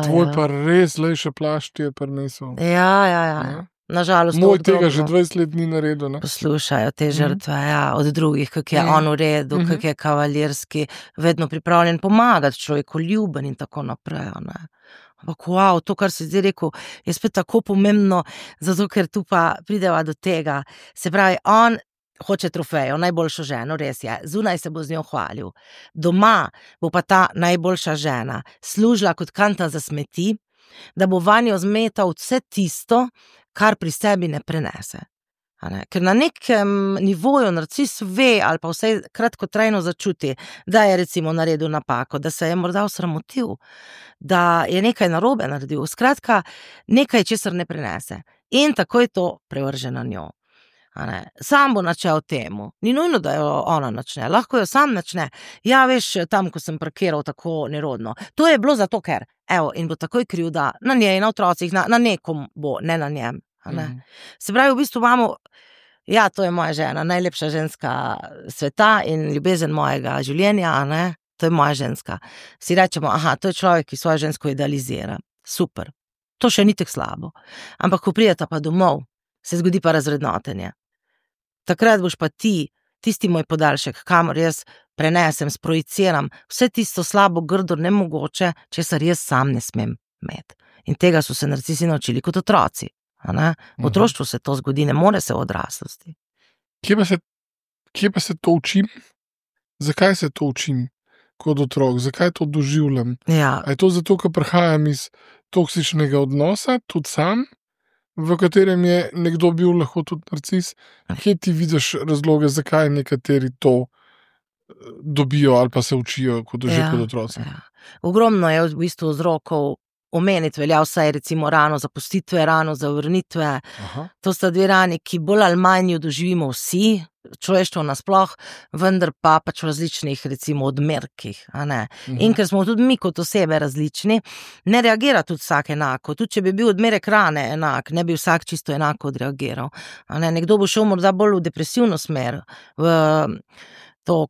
S1: Tvoj pa res lejše plašč je prinesel.
S2: Ja. Nažalost,
S1: moj tega že 20 let ni naredil.
S2: Poslušajo te žrtve od drugih, kako je on v redu, kako je kavalirski, vedno pripravljen pomagati človeku, ljuben in tako naprej. Ampak wow, to, kar si zdaj rekel, je spet tako pomembno, zato ker tu pa prideva do tega. Se pravi, on hoče trofejo, najboljšo ženo, res je, zunaj se bo z njo hvalil. Doma bo pa ta najboljša žena služila kot kanta za smeti, da bo vanjo zmetal vse tisto, kar pri sebi ne prenese. Ker na nekem nivoju narcis ve ali pa vsaj kratkotrajno začuti, da je recimo naredil napako, da se je morda osramotil, da je nekaj narobe naredil, skratka nekaj, česar ne prenese. In tako je to prevrže na njo. Sam bo načel temu, ni nujno, da jo ona načne, lahko jo sam načne. Ja, veš, tam, ko sem parkiral tako nerodno, to je bilo zato, ker, in bo takoj krivda na njej, na otrocih, na nekom bo, ne na njem. Se pravi, v bistvu imamo, ja, to je moja žena, najlepša ženska sveta in ljubezen mojega življenja, to je moja ženska. Si rečemo, to je človek, ki svojo žensko idealizira. Super, to še ni tako slabo. Ampak, ko prideta pa domov, se zgodi pa razvrednotenje. Takrat boš pa ti, tisti moj podaljšek, kamor jaz prenesem, sprojiciram vse tisto slabo, grdo, nemogoče, česar jaz sam ne smem imeti. In tega so se narcisi naučili kot otroci. V otroštvu se to zgodi, ne more se v odraslosti.
S1: Kje pa se to učim? Zakaj se to učim kot otrok? Zakaj to doživljam?
S2: Ja.
S1: A je to zato, ker prihajam iz toksičnega odnosa, tudi sam, v katerem je nekdo bil lahko tudi narcis? Kje ti vidiš razloge, zakaj nekateri to dobijo ali pa se učijo kot otroci?
S2: Ogromno je v bistvu vzrokov. Omeniti velja vsaj recimo rano zapustitve, rano zavrnitve. To sta dve rani, ki bolj ali manj jo doživimo vsi, človeštvo nasploh, vendar pa pač v različnih recimo odmerkih. In ker smo tudi mi kot osebe različni, ne reagira tudi vsak enako. Tudi če bi bil odmerek rane enak, ne bi vsak čisto enako odreagiral. Nekdo bo šel morda bolj v depresivno smer, v to,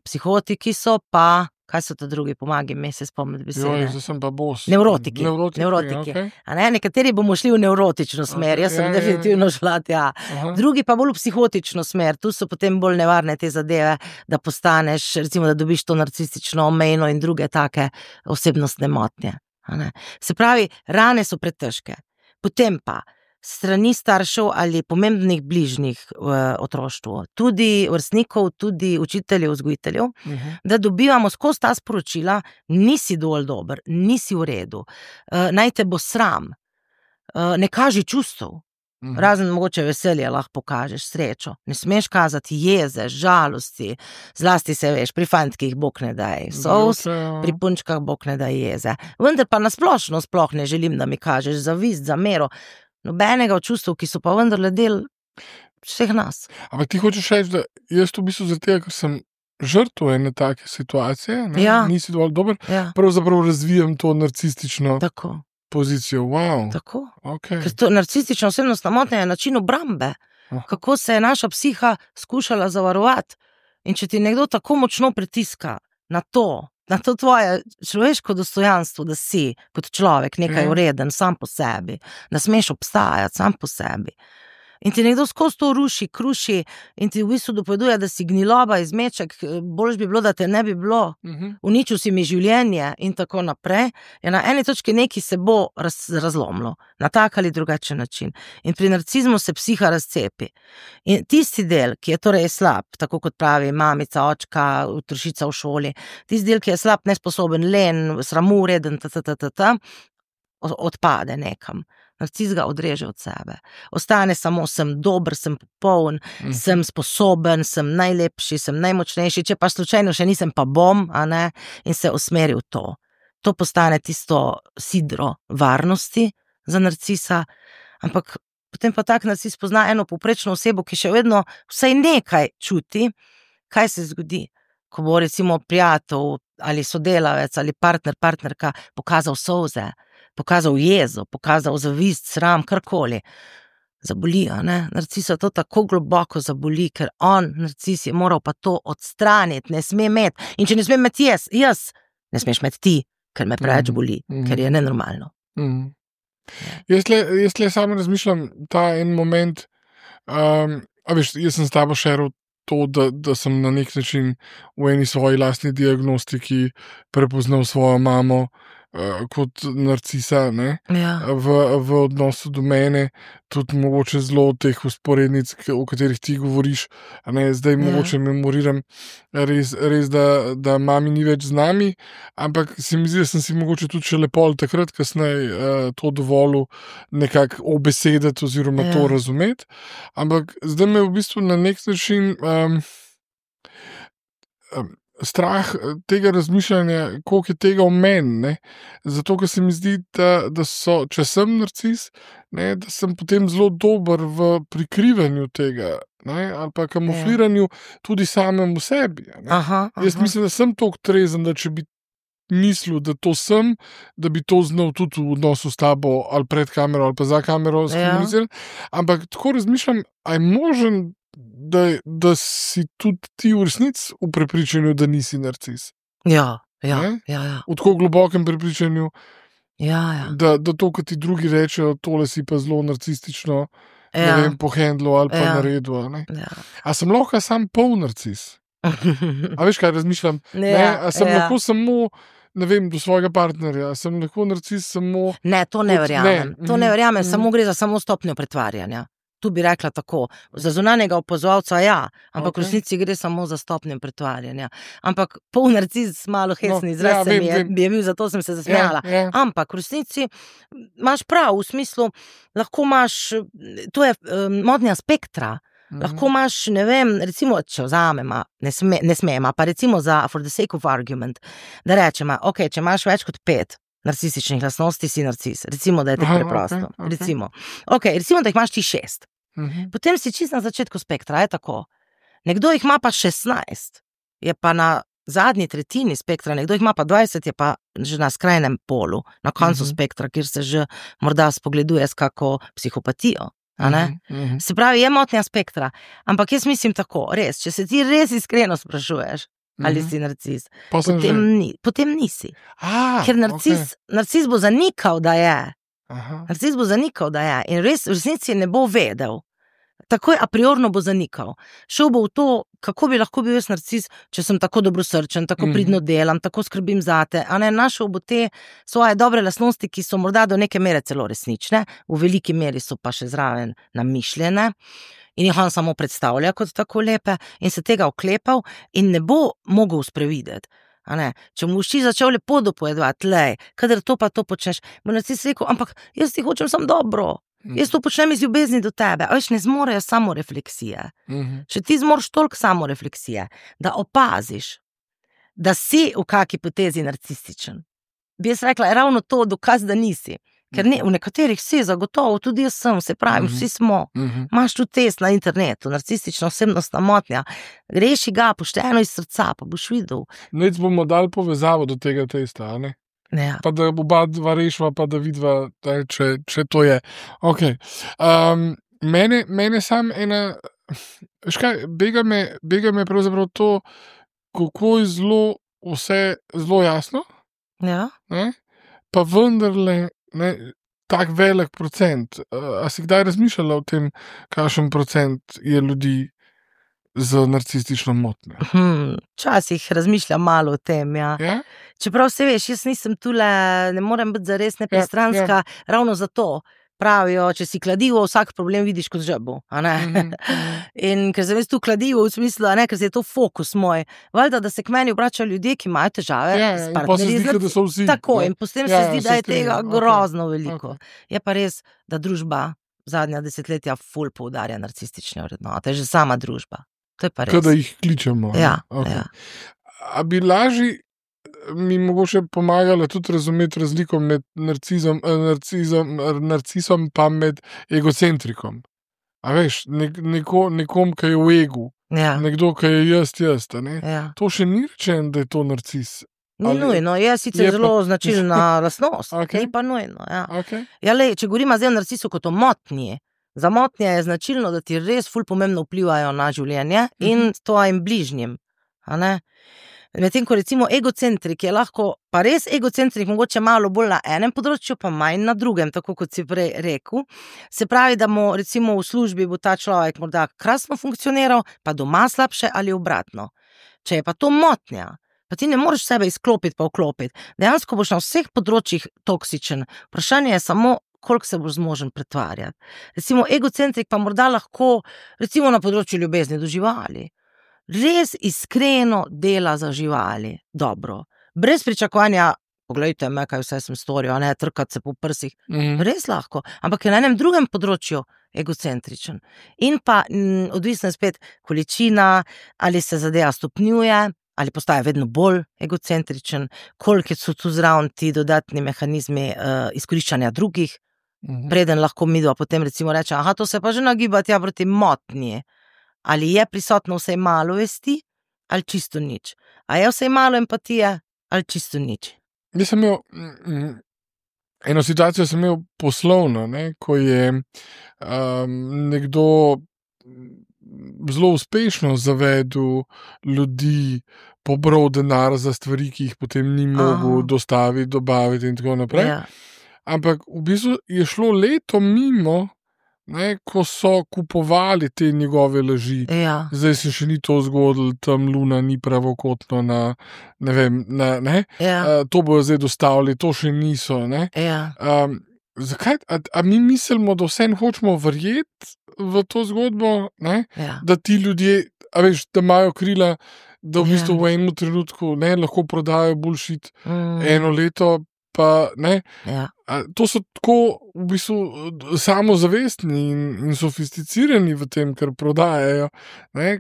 S2: psihotiki so pa, kaj so to drugi, pomagaj mi se spomniti besede.
S1: Zdaj sem pa bos.
S2: Nevrotiki.
S1: Okay.
S2: A ne, nekateri bomo šli v nevrotično smer, jaz sem definitivno šla tja. Drugi pa bolj v psihotično smer, tu so potem bolj nevarne te zadeve, da postaneš, recimo, da dobiš to narcistično omejno in druge take osebnostne motnje. A ne. Se pravi, rane so pretežke. Potem pa strani staršev ali pomembnih bližnjih v otroštvu, tudi vrstnikov, tudi učiteljev, vzgojiteljev, da dobivamo skozi ta sporočila, nisi dovolj dober, nisi v redu, naj te bo sram, ne kaži čustev, razen mogoče veselje lahko pokažeš, srečo, ne smeš kazati jeze, žalosti, zlasti se veš, pri fantkih bog ne daj solz, pri punčkah bog ne daj jeze, vendar pa nasplošno sploh ne želim, da mi kažeš zavist, zamero, nobenega od čustev, ki so pa vendarle del vseh nas.
S1: Ampak ti hočeš reči, da jaz v bistvu zaradi tega, ker sem žrtev ene take situacije, nisi dovolj dober, pravzaprav razvijam to narcistično pozicijo. Wow.
S2: Tako.
S1: Okay.
S2: Ker to narcistično osebnostna motnja je način obrambe. Kako se je naša psiha skušala zavarovati. In če ti nekdo tako močno pritiska na to tvoje človeško dostojanstvo, da si kot človek nekaj vreden sam po sebi, da smeš obstajati sam po sebi. In ti nekdo skozi to ruši, kruši in ti v bistvu dopoveduje, da si gniloba, izmeček, boljš bi bilo, da te ne bi bilo, uničil si mi življenje in tako naprej, je na eni točki nekaj se bo razlomilo, na tak ali drugačen način. In pri narcizmu se psiha razcepi. In tisti del, ki je torej slab, tako kot pravi mamica, očka, otrošica v šoli, tisti del, ki je slab, nesposoben, len, sramureden, odpade nekam. Narciz ga odreže od sebe. Ostane samo, sem dober, sem popoln, sem sposoben, sem najlepši, sem najmočnejši, če pa slučajno še nisem, pa bom, a ne, in se usmeri v to. To postane tisto sidro varnosti za narcisa, ampak potem pa tak narcis pozna eno povprečno osebo, ki še vedno vsaj nekaj čuti, kaj se zgodi, ko bo recimo prijatelj ali sodelavec ali partnerka pokazal solze, pokazal jezo, pokazal zavist, sram, karkoli. Zaboli, a ne? Narcisa to tako globoko zaboli, ker narcis je moral pa to odstraniti, ne sme imeti. In če ne sme imeti jaz, ne smeš imeti ti, ker me preveč boli, ker je nenormalno.
S1: Jaz le samo razmišljam ta en moment, jaz sem s tabo šeril to, da sem na nek način v eni svoji lastni diagnostiki prepoznal svojo mamo kot narcisa, ne? V odnosu do mene, tudi mogoče zelo teh usporednic, o katerih ti govoriš, ne? Zdaj mogoče memoriram res da mami ni več z nami, ampak se mi zdi, da sem si mogoče tudi še lepo takrat kasneje to dovolil nekako obesedati oziroma to razumeti, ampak zdaj me v bistvu na nek način strah tega razmišljanja, koliko je tega v meni, ne? Zato, ker se mi zdi, da so, če sem narcis, ne, da sem potem zelo dober v prikrivanju tega, ne, ali pa kamufliranju tudi samemu sebi. Jaz mislim, da sem toliko trezen, da če bi mislil, da to sem, da bi to znal tudi v odnosu s tabo ali pred kamero ali pa za kamero skomunicirati, ampak tako razmišljam, a je možen, da si tudi ti v resnici v prepričanju, da nisi narcis.
S2: Ja.
S1: V tako globokem prepričanju, da to, ko ti drugi rečejo, tole si pa zelo narcistično, ne vem, pohendlo ali pa naredil. A sem lahko sam pol narcis? A veš, kaj razmišljam? A sem lahko samo, ne vem, do svojega partnerja, sem lahko narcis samo...
S2: Ne, to ne verjamem. To ne verjamem, samo gre za samo stopnjo pretvarjanja. Tu bi rekla tako, za zunanjega opazovalca ampak v resnici gre samo za stopnjo pretvarjanja. Ampak pol narcis, malo hecni izraz bi je bil, zato sem se zasmejala. Ampak v resnici imaš prav, v smislu, lahko imaš, to je motnja spektra, lahko imaš, ne vem, recimo, če vzamema, ne smema, pa recimo za for the sake of argument, da rečemo, ok, če imaš več kot 5 narcističnih lastnosti, si narcis. Recimo, da je tako preprosto. Recimo, da jih imaš ti 6. Potem si čisto na začetku spektra, je tako. Nekdo jih ima pa 16, je pa na zadnji tretjini spektra, nekdo jih ima pa 20, je pa že na skrajnem polu, na koncu spektra, kjer se že morda spogleduje s kako psihopatijo. Se pravi, je motnja spektra, ampak jaz mislim tako, res, če se ti res iskreno sprašuješ, ali si narcis, potem nisi. Ker narcis bo zanikal, da je. Narcis bo zanikal, da je. In res v resnici ne bo vedel. Takoj a priorno bo zanikal. Šel bo v to, kako bi lahko bil jaz narcis, če sem tako dobrosrčen, tako pridno delam, tako skrbim zate. Našel bo te svoje dobre lastnosti, ki so morda do neke mere celo resnične, v veliki meri so pa še zraven namišljene in jih on samo predstavlja kot tako lepe in se tega oklepal in ne bo mogel sprevideti. Če mu boš ti začel lepo dopovedovati, kadar to pa to počneš, bo narcis rekel, ampak jaz ti hočem samo dobro. Jaz to počnem iz ljubezni do tebe, a veš, ne zmorejo samorefleksije. Če ti zmoriš toliko samorefleksije, da opaziš, da si v kaki potezi narcističen, bi jaz rekla, je ravno to dokaz, da nisi. Ker v nekaterih si zagotovo, tudi jaz sem, se pravi, vsi smo. Imaš tudi test na internetu, narcistična osebnostna motnja. Reši ga pošteno iz srca, pa boš videl.
S1: Nec bomo dali povezavo do tega testa, a ne?
S2: Ja.
S1: Pa da oba dva rešiva, pa da vidva, če to je. Okay. Mene sam ena, škaj, bega me pravzaprav to, kako je vse zelo jasno, pa vendarle tak velik procent. A si kdaj razmišljala o tem, kakšen procent je ljudi z narcistično motnjo?
S2: Včasih razmišljam malo o tem, ja. Čeprav se veš, jaz nisem tule, ne morem biti zares nepristranska, ravno zato pravijo, če si kladivo, vsak problem vidiš kot žabu, a ne? In ker sem jaz tu kladivo v smislu, a ne, ker je to fokus moj, valjda, da se k meni obračajo ljudje, ki imajo težave s partnerji. Tako, in potem se zdi, da je tega grozno veliko. Je pa res, da družba zadnja desetletja ful poudarja narcistične vrednote, že sama družba. To je pa res.
S1: Kada jih kličemo.
S2: Ja.
S1: A bi lažje mi mogoče pomagala tudi razumeti razliko med narcisom pa med egocentrikom. A veš, nekom, ki je v egu, nekdo, ki je jaz, ne? To še ni rečeno, da je to narcis.
S2: Ni nujno, je sicer zelo značilna lastnost, ni pa nujno. Če govorimo zdaj o narcisu kot o motnji, za motnje je značilno, da ti res ful pomembno vplivajo na življenje in tvojim bližnjim. Medtem ko recimo egocentrik je lahko, pa res egocentrik mogoče malo bolj na enem področju, pa manj na drugem, tako kot si prej rekel. Se pravi, da mu recimo v službi bo ta človek morda krasno funkcioniral, pa doma slabše ali obratno. Če je pa to motnja, pa ti ne moreš sebe izklopiti pa vklopiti, dejansko boš na vseh področjih toksičen. Vprašanje je samo, koliko se boš zmožen pretvarjati. Recimo egocentrik pa morda lahko, recimo na področju ljubezni do živali, res iskreno dela za živali, dobro, brez pričakovanja, poglejte me, kaj vse sem storil, a ne trkati se po prsih, res lahko, ampak je na enem drugem področju egocentričen. In pa odvisno spet količina, ali se zadeva stopnjuje, ali postaja vedno bolj egocentričen, koliko so tu zraven ti dodatni mehanizmi izkoriščanja drugih, preden lahko midva potem recimo reče, aha, to se pa že nagiba tja proti motnji. Ali je prisotno vsaj malo vesti, ali čisto nič. A je vsaj malo empatije, ali čisto nič.
S1: Jaz sem imel, eno situacijo sem imel poslovno, ko je nekdo zelo uspešno zavedel ljudi, pobral denar za stvari, ki jih potem ni mogel dostaviti, dobaviti in tako naprej. Ampak v bistvu je šlo leto mimo, ko so kupovali te njegove laži. Zdaj se še ni to zgodilo, tam luna ni pravokotno to bojo zdaj dostavili, to še niso. Zakaj? A mi mislimo, da vsem hočemo verjeti v to zgodbo, da ti ljudje, a veš, da imajo krila, da v bistvu v enem trenutku lahko prodajo bullshit eno leto, pa ne. To so tako v bistvu samozavestni in sofisticirani v tem, kar prodajajo,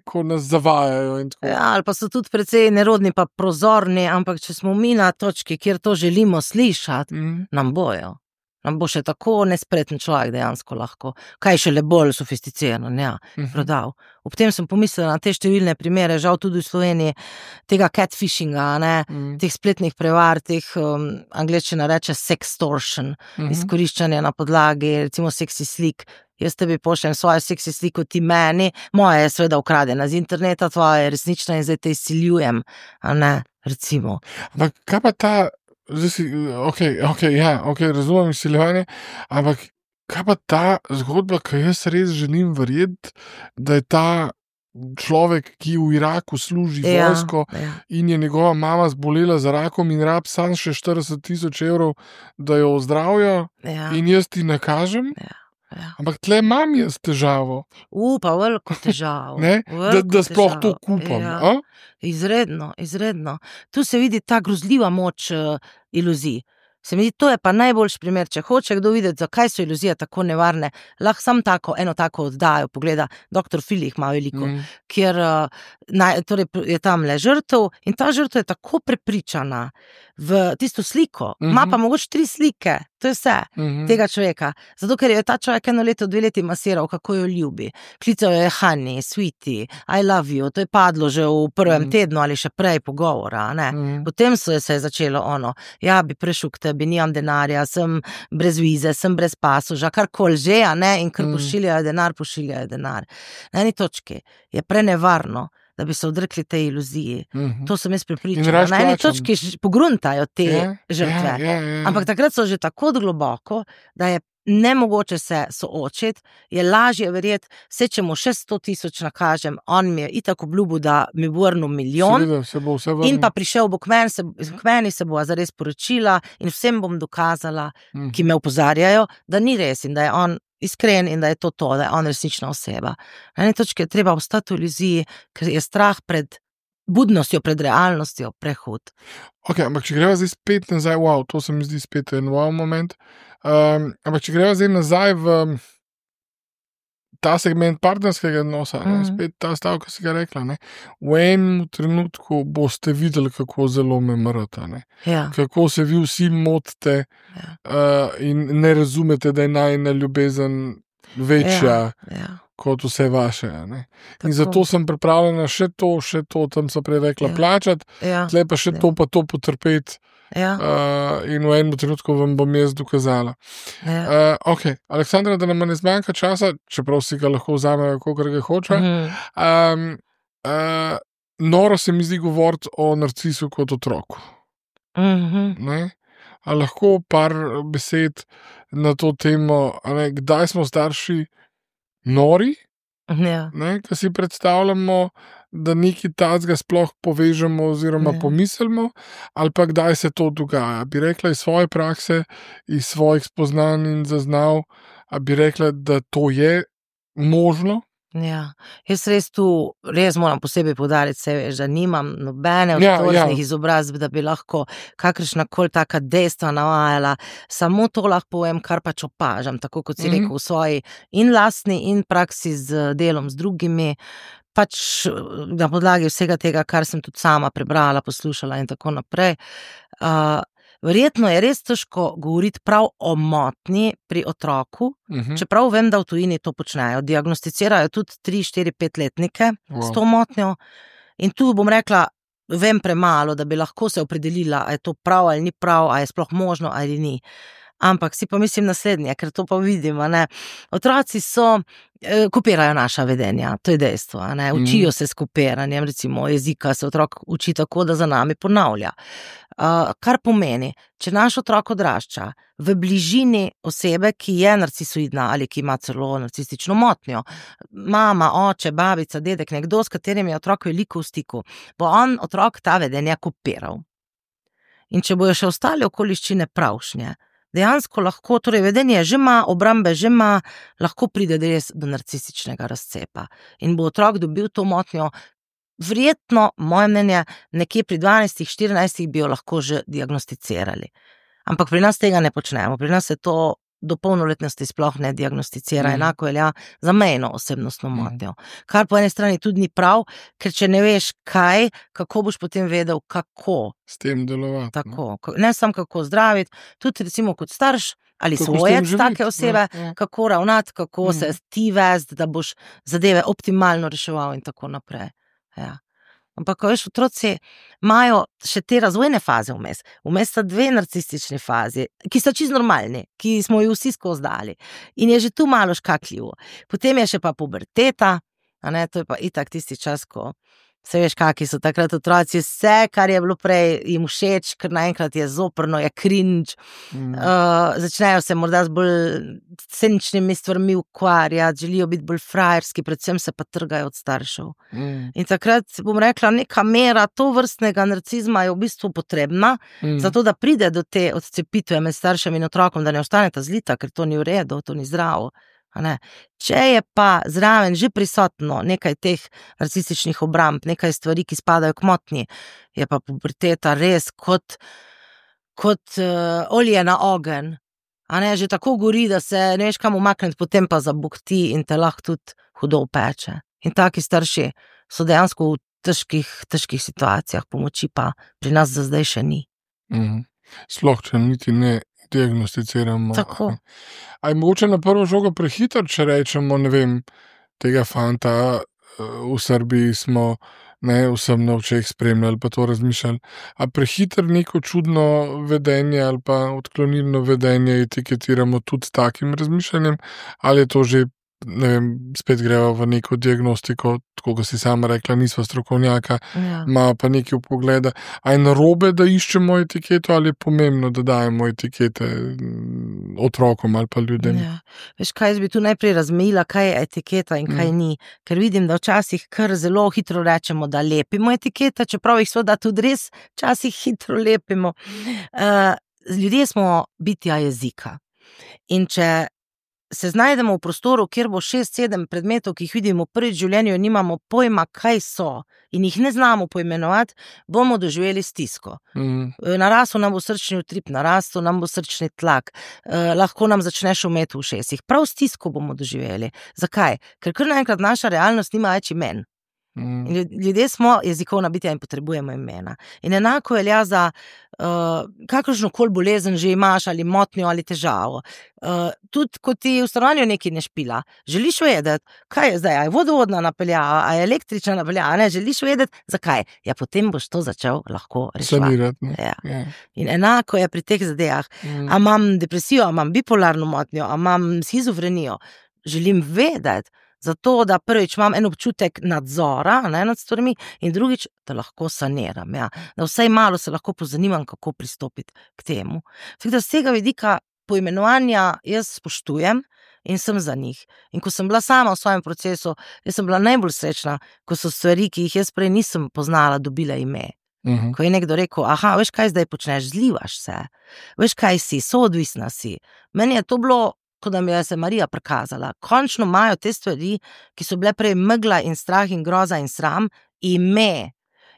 S1: ko nas zavajajo in tako.
S2: Ali pa so tudi precej nerodni pa prozorni, ampak če smo mi na točki, kjer to želimo slišati, nam bojo. Nam bo še tako nespreten človek dejansko lahko. Kaj še le bolj sofisticiran, prodal. Ob tem sem pomislila na te številne primere, žal tudi v Sloveniji, tega catfishinga, teh spletnih prevar, teh angleščina reče sextortion, izkoriščanje na podlagi, recimo seksi slik, jaz tebi pošljem svojo seksi sliko, ti meni, moja je seveda ukradena z interneta, tvoja je resnična in zdaj te izsiljujem, a ne, recimo.
S1: Ampak kaj pa ta, zdaj si, razumem izsiljevanje, ampak kaj pa ta zgodba, ki jaz res želim verjeti, da je ta človek, ki v Iraku služi vojsko in je njegova mama zbolela za rakom in rab sam še 40,000 evrov, da jo ozdravijo in jaz ti nakažem. Ampak tle imam jaz težavo.
S2: Pa veliko težavo.
S1: Da sploh to kupam.
S2: Izredno. Tu se vidi ta grozljiva moč iluzij. Se mi zdi, to je pa najboljši primer, če hoče kdo videti, zakaj so iluzije tako nevarne, lahko sam eno tako oddajo pogleda, Dr. Phil jih ima veliko, kjer torej je tam le žrtev in ta žrtev je tako prepričana v tisto sliko, ima pa mogoče 3 slike, to je vse, tega človeka, zato ker je ta človek 1 leto, 2 leti masiral, kako jo ljubi, klical jo je honey, sweetie, I love you, to je padlo že v prvem tednu ali še prej pogovora, ne, potem se je začelo ja, bi prešel k tebi, nimam denarja, sem brez vize, sem brez pasoža, karkoli že, ne, in ker pošiljajo denar. Na eni točki je prenevarno, da bi se odrekli tej iluziji. To sem jaz prepričana. Na eni točki pogruntajo te žrtve. Ampak takrat so že tako globoko, da je nemogoče se soočiti, je lažje verjeti, če mu še 100,000 nakažem, on mi je itak obljubil, da mi bo vrnil milijon, in pa prišel bo k meni, se bo zares poročila in vsem bom dokazala, ki me opozarjajo, da ni res in da je on iskren in da je to, da je on resnična oseba. Na eni točki je treba ostati v iluziji, ker je strah pred budnostjo, pred realnostjo prehud.
S1: Ampak če greva zdaj spet nazaj, to se mi zdi spet en moment, ampak če greva zdaj nazaj v ta segment partnerskega odnosa, spet ta stavek, ki si ga rekla, ne, v enem trenutku boste videli, kako zelo me mrata, ne, kako se vi vsi motite in ne razumete, da je najina ljubezen večja kot vse vaše. Ne. In zato sem pripravljena še to, tam so prej rekla, plačati, tle pa še to potrpeti. In v enem trenutku vam bom jaz dokazala. Aleksandra, da nam ne zmanjka časa, čeprav si ga lahko vzamejo, kolikor ga hoče. Noro se mi zdi govoriti o narcisu kot otroku. A lahko par besed na to temo, kdaj smo starši nori, ki si predstavljamo, da nekaj tazga sploh povežemo oziroma pomislimo, ali pa kdaj se to dogaja. Bi rekla iz svoje prakse, iz svojih spoznanj in zaznav, a bi rekla, da to je možno?
S2: Jaz res moram posebej poudariti, da nimam nobene vzorčnih izobrazb, da bi lahko kakršnakoli taka dejstva navajala, samo to lahko povem, kar pač opažam, tako kot si rekel, v svoji in lastni in praksi z delom z drugimi, pač na podlagi vsega tega, kar sem tudi sama prebrala, poslušala in tako naprej. Verjetno je res težko govoriti prav o motnji pri otroku, čeprav vem, da v tujini to počnejo. Diagnosticirajo tudi 3, 4, 5-letnike s to motnjo in tu bom rekla, vem premalo, da bi lahko se opredelila, a je to prav ali ni prav, a je sploh možno ali ni. Ampak si pa mislim naslednje, ker to pa vidim, otroci kopirajo naša vedenja, to je dejstvo, učijo se s kopiranjem, recimo jezika se otrok uči tako, da za nami ponavlja. Kar pomeni, če naš otrok odrašča v bližini osebe, ki je narcisoidna ali ki ima celo narcistično motnjo, mama, oče, babica, dedek, nekdo, s katerim je otrok veliko v stiku, bo on otrok ta vedenja kopiral. In če bojo še ostale okoliščine pravšnje, dejansko lahko, torej vedenje že ima, obrambe že ima, lahko pride res do narcističnega razcepa. In bo otrok dobil to motnjo, verjetno, moje mnenje, nekje pri 12, 14 bi jo lahko že diagnosticirali. Ampak pri nas tega ne počnemo, pri nas se to do polnoletnosti sploh ne diagnosticira, enako velja za mejno osebnostno motnjo. Kar po eni strani tudi ni prav, ker če ne veš kaj, kako boš potem vedel, kako
S1: s tem delovati.
S2: Tako, ne samo kako zdraviti, tudi recimo kot starš ali svojec take osebe, kako ravnati, kako se ti vesti, da boš zadeve optimalno reševal in tako naprej. Ampak, veš, otroci imajo še te razvojne faze vmes. Vmes sta 2 narcistični fazi, ki sta čisto normalni, ki smo ju vsi skozi dali. In je že tu malo škakljivo. Potem je še pa puberteta, a ne, to je pa itak tisti čas, ko se veš, kakšni so takrat otroci, vse, kar je bilo prej jim všeč, ker naenkrat je zoprno, je cringe. Začnejo se morda z bolj sceničnimi stvarmi ukvarjati, želijo biti bolj frajerski, predvsem se pa trgajo od staršev. In takrat, bom rekla, neka mera tovrstnega narcizma je v bistvu potrebna, zato da pride do te odcepitve med staršem in otrokom, da ne ostaneta zlita, ker to ni v redu, to ni zdravo. Če je pa zraven že prisotno nekaj teh narcističnih obramb, nekaj stvari, ki spadajo k motnji, je pa puberteta res kot olje na ogenj. Že tako gori, da se ne veš kam umakniti, potem pa zabukti in te lahko tudi hudo upeče. In taki starši so dejansko v težkih situacijah, pomoči pa pri nas za zdaj še ni.
S1: Sploh, če niti ne diagnosticiramo.
S2: Tako.
S1: A je mogoče na prvo žogo prehitro, če rečemo, ne vem, tega fanta v Srbiji smo vsem na očeh spremljali, pa to razmišljali. A prehitro neko čudno vedenje ali pa odklonilno vedenje etiketiramo tudi s takim razmišljanjem, ali je to že, ne vem, spet greva v neko diagnostiko, tako kot si sama rekla, nisva strokovnjaka, ima pa nekaj vpogleda. A je narobe, da iščemo etiketo, ali je pomembno, da dajemo etikete otrokom ali pa ljudem?
S2: Veš kaj, jaz bi tu najprej razmejila, kaj je etiketa in kaj ni, ker vidim, da včasih kar zelo hitro rečemo, da lepimo etikete, čeprav jih seveda tudi res včasih hitro lepimo. Ljudje smo bitja jezika. In če se znajdemo v prostoru, kjer bo 6-7 predmetov, ki jih vidimo prvič v življenju in nimamo pojma, kaj so, in jih ne znamo poimenovati, bomo doživeli stisko. Narasel nam bo srčni utrip, narastel nam bo srčni tlak, lahko nam začne šumeti v ušesih. Prav stisko bomo doživeli. Zakaj? Ker kar naenkrat naša realnost nima več imen. Ljudje smo jezikovna bitja in potrebujemo imena. In enako velja za kakršnokoli bolezen že imaš, ali motnjo, ali težavo. Tudi, ko ti v stanovanju nekaj ne špila, želiš vedeti, kaj je zdaj, a je vodovodna napeljava, a je električna napeljava, ne, želiš vedeti, zakaj. Ja, potem boš to začel lahko reševati. In enako je pri teh zadevah. A imam depresijo, a imam bipolarno motnjo, a imam shizofrenijo. Želim vedeti, zato, da prvič imam en občutek nadzora nad stvarmi in drugič, da lahko saniram. Da vsaj malo se lahko pozanimam, kako pristopiti k temu. Tako da z tega vidika poimenovanja jaz spoštujem in sem za njih. In ko sem bila sama v svojem procesu, jaz sem bila najbolj srečna, ko so stvari, ki jih jaz prej nisem poznala, dobile ime. Ko je nekdo rekel, veš kaj zdaj počneš, zlivaš se, veš kaj si, soodvisna si. Meni je to bilo, kot da mi je se Marija prikazala. Končno imajo te stvari, ki so bile prej megla in strah in groza in sram, ime.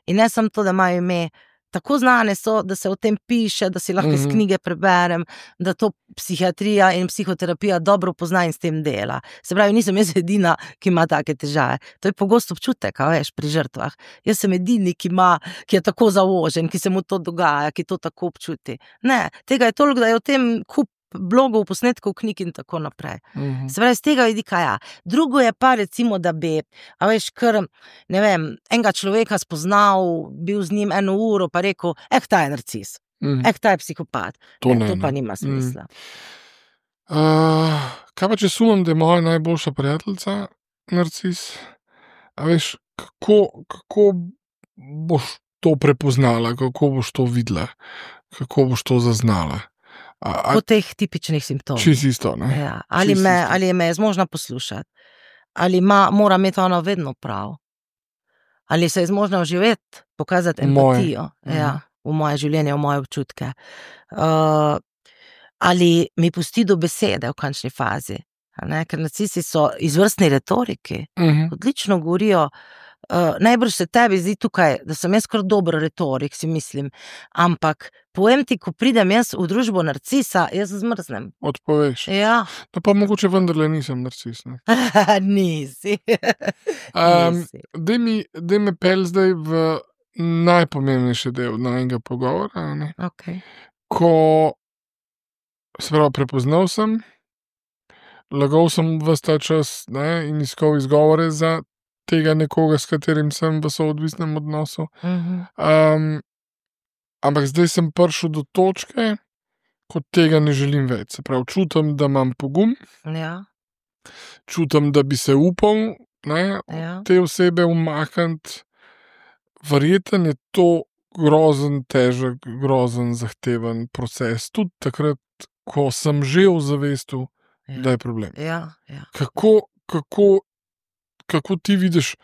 S2: In ne samo to, da imajo ime, tako znane so, da se o tem piše, da si lahko iz knjige preberem, da to psihiatrija in psihoterapija dobro pozna in s tem dela. Se pravi, nisem jaz edina, ki ima take težave. To je pogosto občutek, veš, pri žrtvah. Jaz sem edini, ki je tako zavožen, ki se mu to dogaja, ki to tako občuti. Ne, tega je toliko, da je o tem kup blogov, posnetkov, knjig in tako naprej. Se pravi, z tega vidika ja. Drugo je pa recimo, da bi, veš, kar, ne vem, enega človeka spoznal, bil z njim 1 uro, pa rekel, ta je narcis, ta je psihopat. To pa nima smisla.
S1: Kaj pa, če sumem, da je moja najboljša prijateljica narcis? A veš, kako boš to prepoznala, kako boš to videla, kako boš to zaznala?
S2: Po teh tipičnih simptomih.
S1: Čisto isto, ne?
S2: Ja. Ali me je zmožna poslušati, ali mora imeti ona vedno prav, ali se je zmožna vživeti, pokazati empatijo v moje življenje, v moje občutke, ali mi pusti do besede v končni fazi, ker narcisi so izvrstni retoriki, odlično govorijo. Najbrž se tebi zdi tukaj, da sem jaz kar dober retorik, si mislim, ampak povem ti, ko pridem jaz v družbo narcisa, jaz zmrznem.
S1: Odpoveš?
S2: Ja.
S1: No pa mogoče vendarle nisem narcis, ne?
S2: Nisi.
S1: Daj me pel zdaj v najpomembnejši del najnega pogovora, ne?
S2: Okay.
S1: Ko se pravi, prepoznal sem, lagal sem ves ta čas, ne, in iskal izgovore za tega nekoga, s katerim sem v soodvisnem odnosu. Ampak zdaj sem prišel do točke, ko tega ne želim več. Se pravi, čutim, da imam pogum, čutim, da bi se upal te osebe umakniti. Verjetno je to grozen, težek, grozen, zahteven proces. Tudi takrat, ko sem že v zavestu, da je problem. Kako ti vidiš,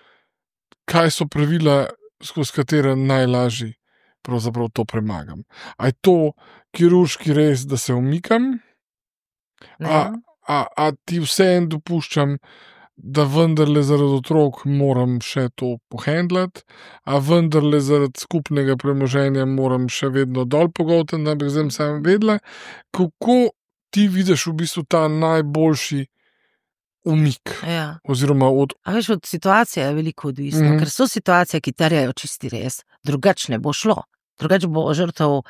S1: kaj so pravila, skozi katere najlažje pravzaprav to premagam? A je to kirurški res, da se umikam? A ti vseeno dopuščam, da vendarle zaradi otrok moram še to pohendlati, a vendarle zaradi skupnega premoženja moram še vedno dol pogoltati, da bi zdaj sam vedela, kako ti vidiš v bistvu ta najboljši umik. Oziroma od
S2: situacije je veliko odvisno, ker so situacije, ki terjajo čisti res, drugače ne bo šlo. Drugače bo žrtev,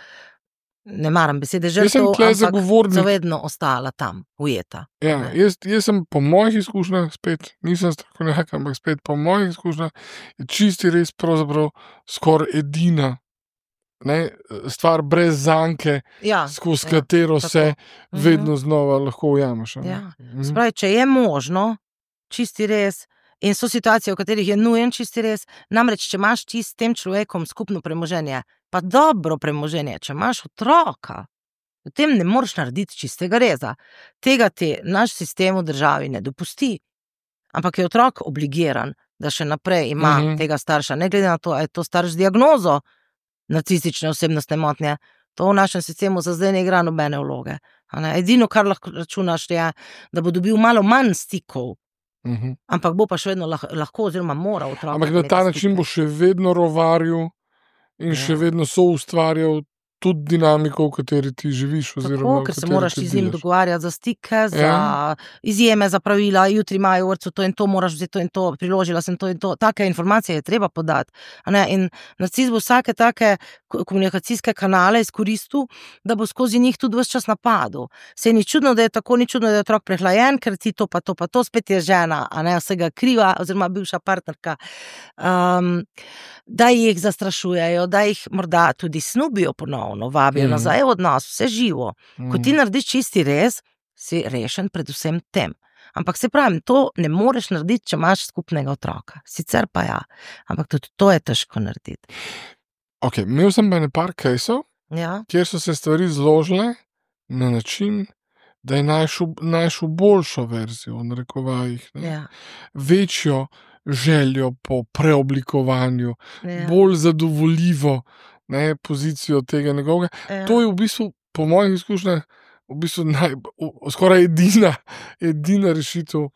S2: ne maram besede žrtev, ampak zavedno ostala tam, ujeta.
S1: Jaz sem po mojih izkušnjah, spet nisem strokovnjak, ampak spet po mojih izkušnjah, je čisti res pravzaprav skoraj edina stvar brez zanke, skozi katero se vedno znova lahko ujameš.
S2: Spravi, če je možno, čisti res, in so situacije, v katerih je nujen čisti res, namreč, če imaš ti s tem človekom skupno premoženje, pa dobro premoženje, če imaš otroka, potem ne moreš narediti čistega reza. Tega ti naš sistem v državi ne dopusti. Ampak je otrok obligiran, da še naprej ima tega starša, ne glede na to, ali je to starš z diagnozo narcistične osebnostne motnje. To v našem sistemu za zdaj ne igra nobene vloge. Edino, kar lahko računaš, je, da bo dobil malo manj stikov, ampak bo pa še vedno lahko oziroma mora otroka.
S1: Ampak na ta način bo še vedno rovaril in še vedno soustvarjal tudi dinamiko, v kateri ti živiš.
S2: Tako, ker se moraš z njim dogovarjati za stike, za izjeme, za pravila, jutri imajo v vrtcu to in to, moraš vzeti to in to, priložila sem to in to. Take informacije je treba podati. In narcis bo vsake take komunikacijske kanale izkoristil, da bo skozi njih tudi ves čas napadal. Se ni čudno, da je tako, ni čudno, da je otrok prehlajen, ker ti to pa to pa to, spet je žena, vsega kriva, oziroma bivša partnerka, da jih zastrašujejo, da jih morda tudi snubijo ponovno, vabijo nazaj v odnos, vse živo. Ko ti narediš čisti res, si rešen predvsem tem. Ampak se pravim, to ne moreš narediti, če imaš skupnega otroka. Sicer pa ja, ampak tudi to je težko narediti.
S1: Imel sem pa nekaj caseov, kjer so se stvari zložile na način, da je našel boljšo verzijo, v narekovajih, večjo željo po preoblikovanju, bolj zadovoljivo pozicijo tega njegovega. To je v bistvu, po mojih izkušnjah, v bistvu skoraj edina rešitev,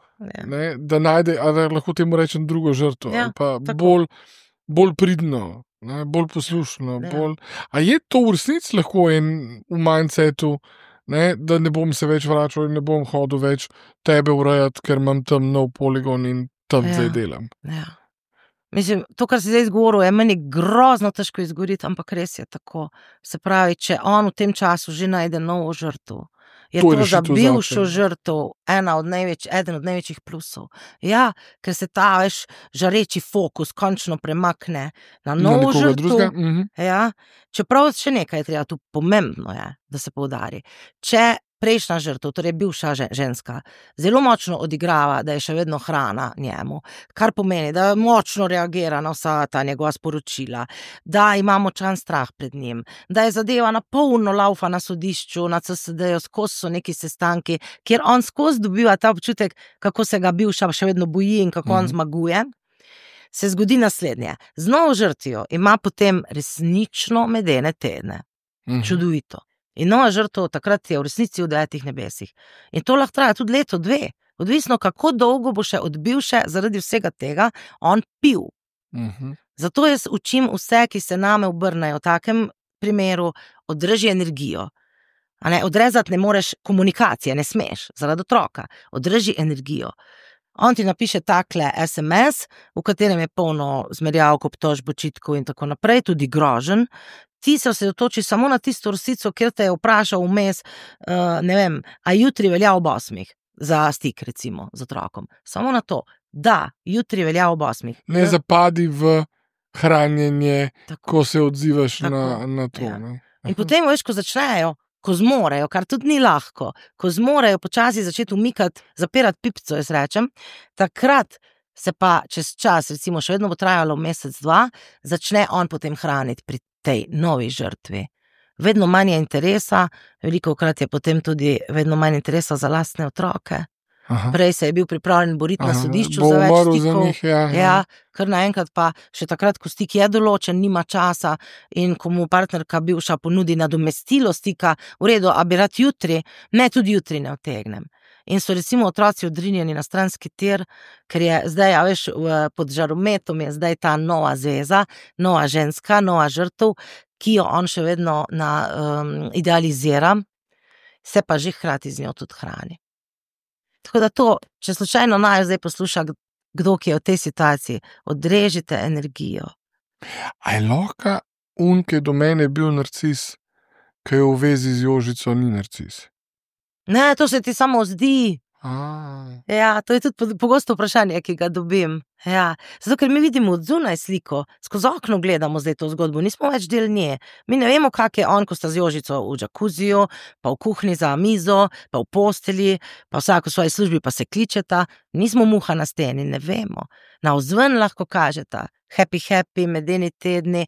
S1: da najde, ali lahko temu rečem, drugo žrtvo, ali pa bolj pridno, bolj poslušno. A je to v resnici lahko v mindsetu, da ne bom se več vračal in ne bom hodil več tebe urejati, ker imam tam nov poligon in tam zdaj delam.
S2: Mislim, to, kar si zdaj izgovoril, je meni grozno težko izgovoriti, ampak res je tako. Se pravi, če on v tem času že najde novo žrtev, je to za bivšo žrtev eden od največjih plusov. Ja, ker se ta žareči fokus končno premakne na novo žrtev. Čeprav še nekaj je treba, tu pomembno je, da se poudari. Če prejšnja žrtev, torej bivša ženska, zelo močno odigrava, da je še vedno hrana njemu, kar pomeni, da močno reagira na vsa ta njegova sporočila, da ima močan strah pred njim, da je zadeva na polno laufa na sodišču, na CSD-ju, skozi so neki sestanki, kjer on skozi dobiva ta občutek, kako se ga bivša še vedno boji in kako on zmaguje, se zgodi naslednje. Z novo žrtvijo ima potem resnično medene tedne. Čudovito. In nova žrtev takrat je v resnici v 9 nebesih. In to lahko traja tudi leto, 2. Odvisno, kako dolgo bo še od bivše zaradi vsega tega on pil. Zato jaz učim vse, ki se name obrnejo v takem primeru, održi energijo. Odrezati ne moreš komunikacije, ne smeš, zaradi otroka. Održi energijo. On ti napiše takle SMS, v katerem je polno zmerjavk, obtožb, očitkov in tako naprej, tudi groženj. Ti se osredotoči samo na tisto resnico, kjer te je vprašal vmes, ne vem, a jutri velja ob 8 za stik, recimo, z otrokom. Samo na to. da jutri velja ob 8.
S1: Ne zapadi v hranjenje,
S2: Tako.
S1: ko se odzivaš
S2: Tako.
S1: na to.
S2: Ja.
S1: Ne?
S2: In potem, veš, ko začnejo, ko zmorejo, kar tudi ni lahko, ko zmorejo počasi začeti umikati, zapirati pipco, jaz rečem, takrat se pa čez čas, recimo še vedno bo trajalo mesec, 2, začne on potem hraniti pri tej novi žrtvi. Vedno manj je interesa, velikokrat je potem tudi vedno manj interesa za lastne otroke.
S1: Aha.
S2: Prej se je bil pripravljen boriti na sodišču
S1: Bo
S2: za več
S1: umrl za
S2: stikov.
S1: njih, ja.
S2: Ja, kar naenkrat pa še takrat, ko stik je določen, nima časa in ko mu partnerka bivša ponudi nadomestilo stika, v redu, a bi rad jutri, ne, tudi jutri ne utegnem. In so recimo otroci odrinjeni na stranski tir, ker je zdaj, a veš, pod žarometom je zdaj ta nova zveza, nova ženska, nova žrtev, ki jo on še vedno idealizira, se pa že hkrati z njo tudi hrani. Tako da to, če slučajno naj zdaj posluša kdo, ki je v tej situaciji, odrežite energijo.
S1: A je lahko ki je do mene bil narcis, ki je v vezi z Jožico, ni narcis?
S2: Ne, to se ti samo zdi. Ja, to je tudi pogosto vprašanje, ki ga dobim. Ja, zato, ker mi vidimo od zunaj sliko, skozi okno gledamo zdaj to zgodbo, nismo več del nje. Mi ne vemo, kak je on, ko sta z Jožico v džakuziju, pa v kuhinji za mizo, pa v postelji, pa vsak v svoji službi pa se kličeta. Nismo muha na steni, ne vemo. Navzven lahko kažeta, happy, medeni tedni,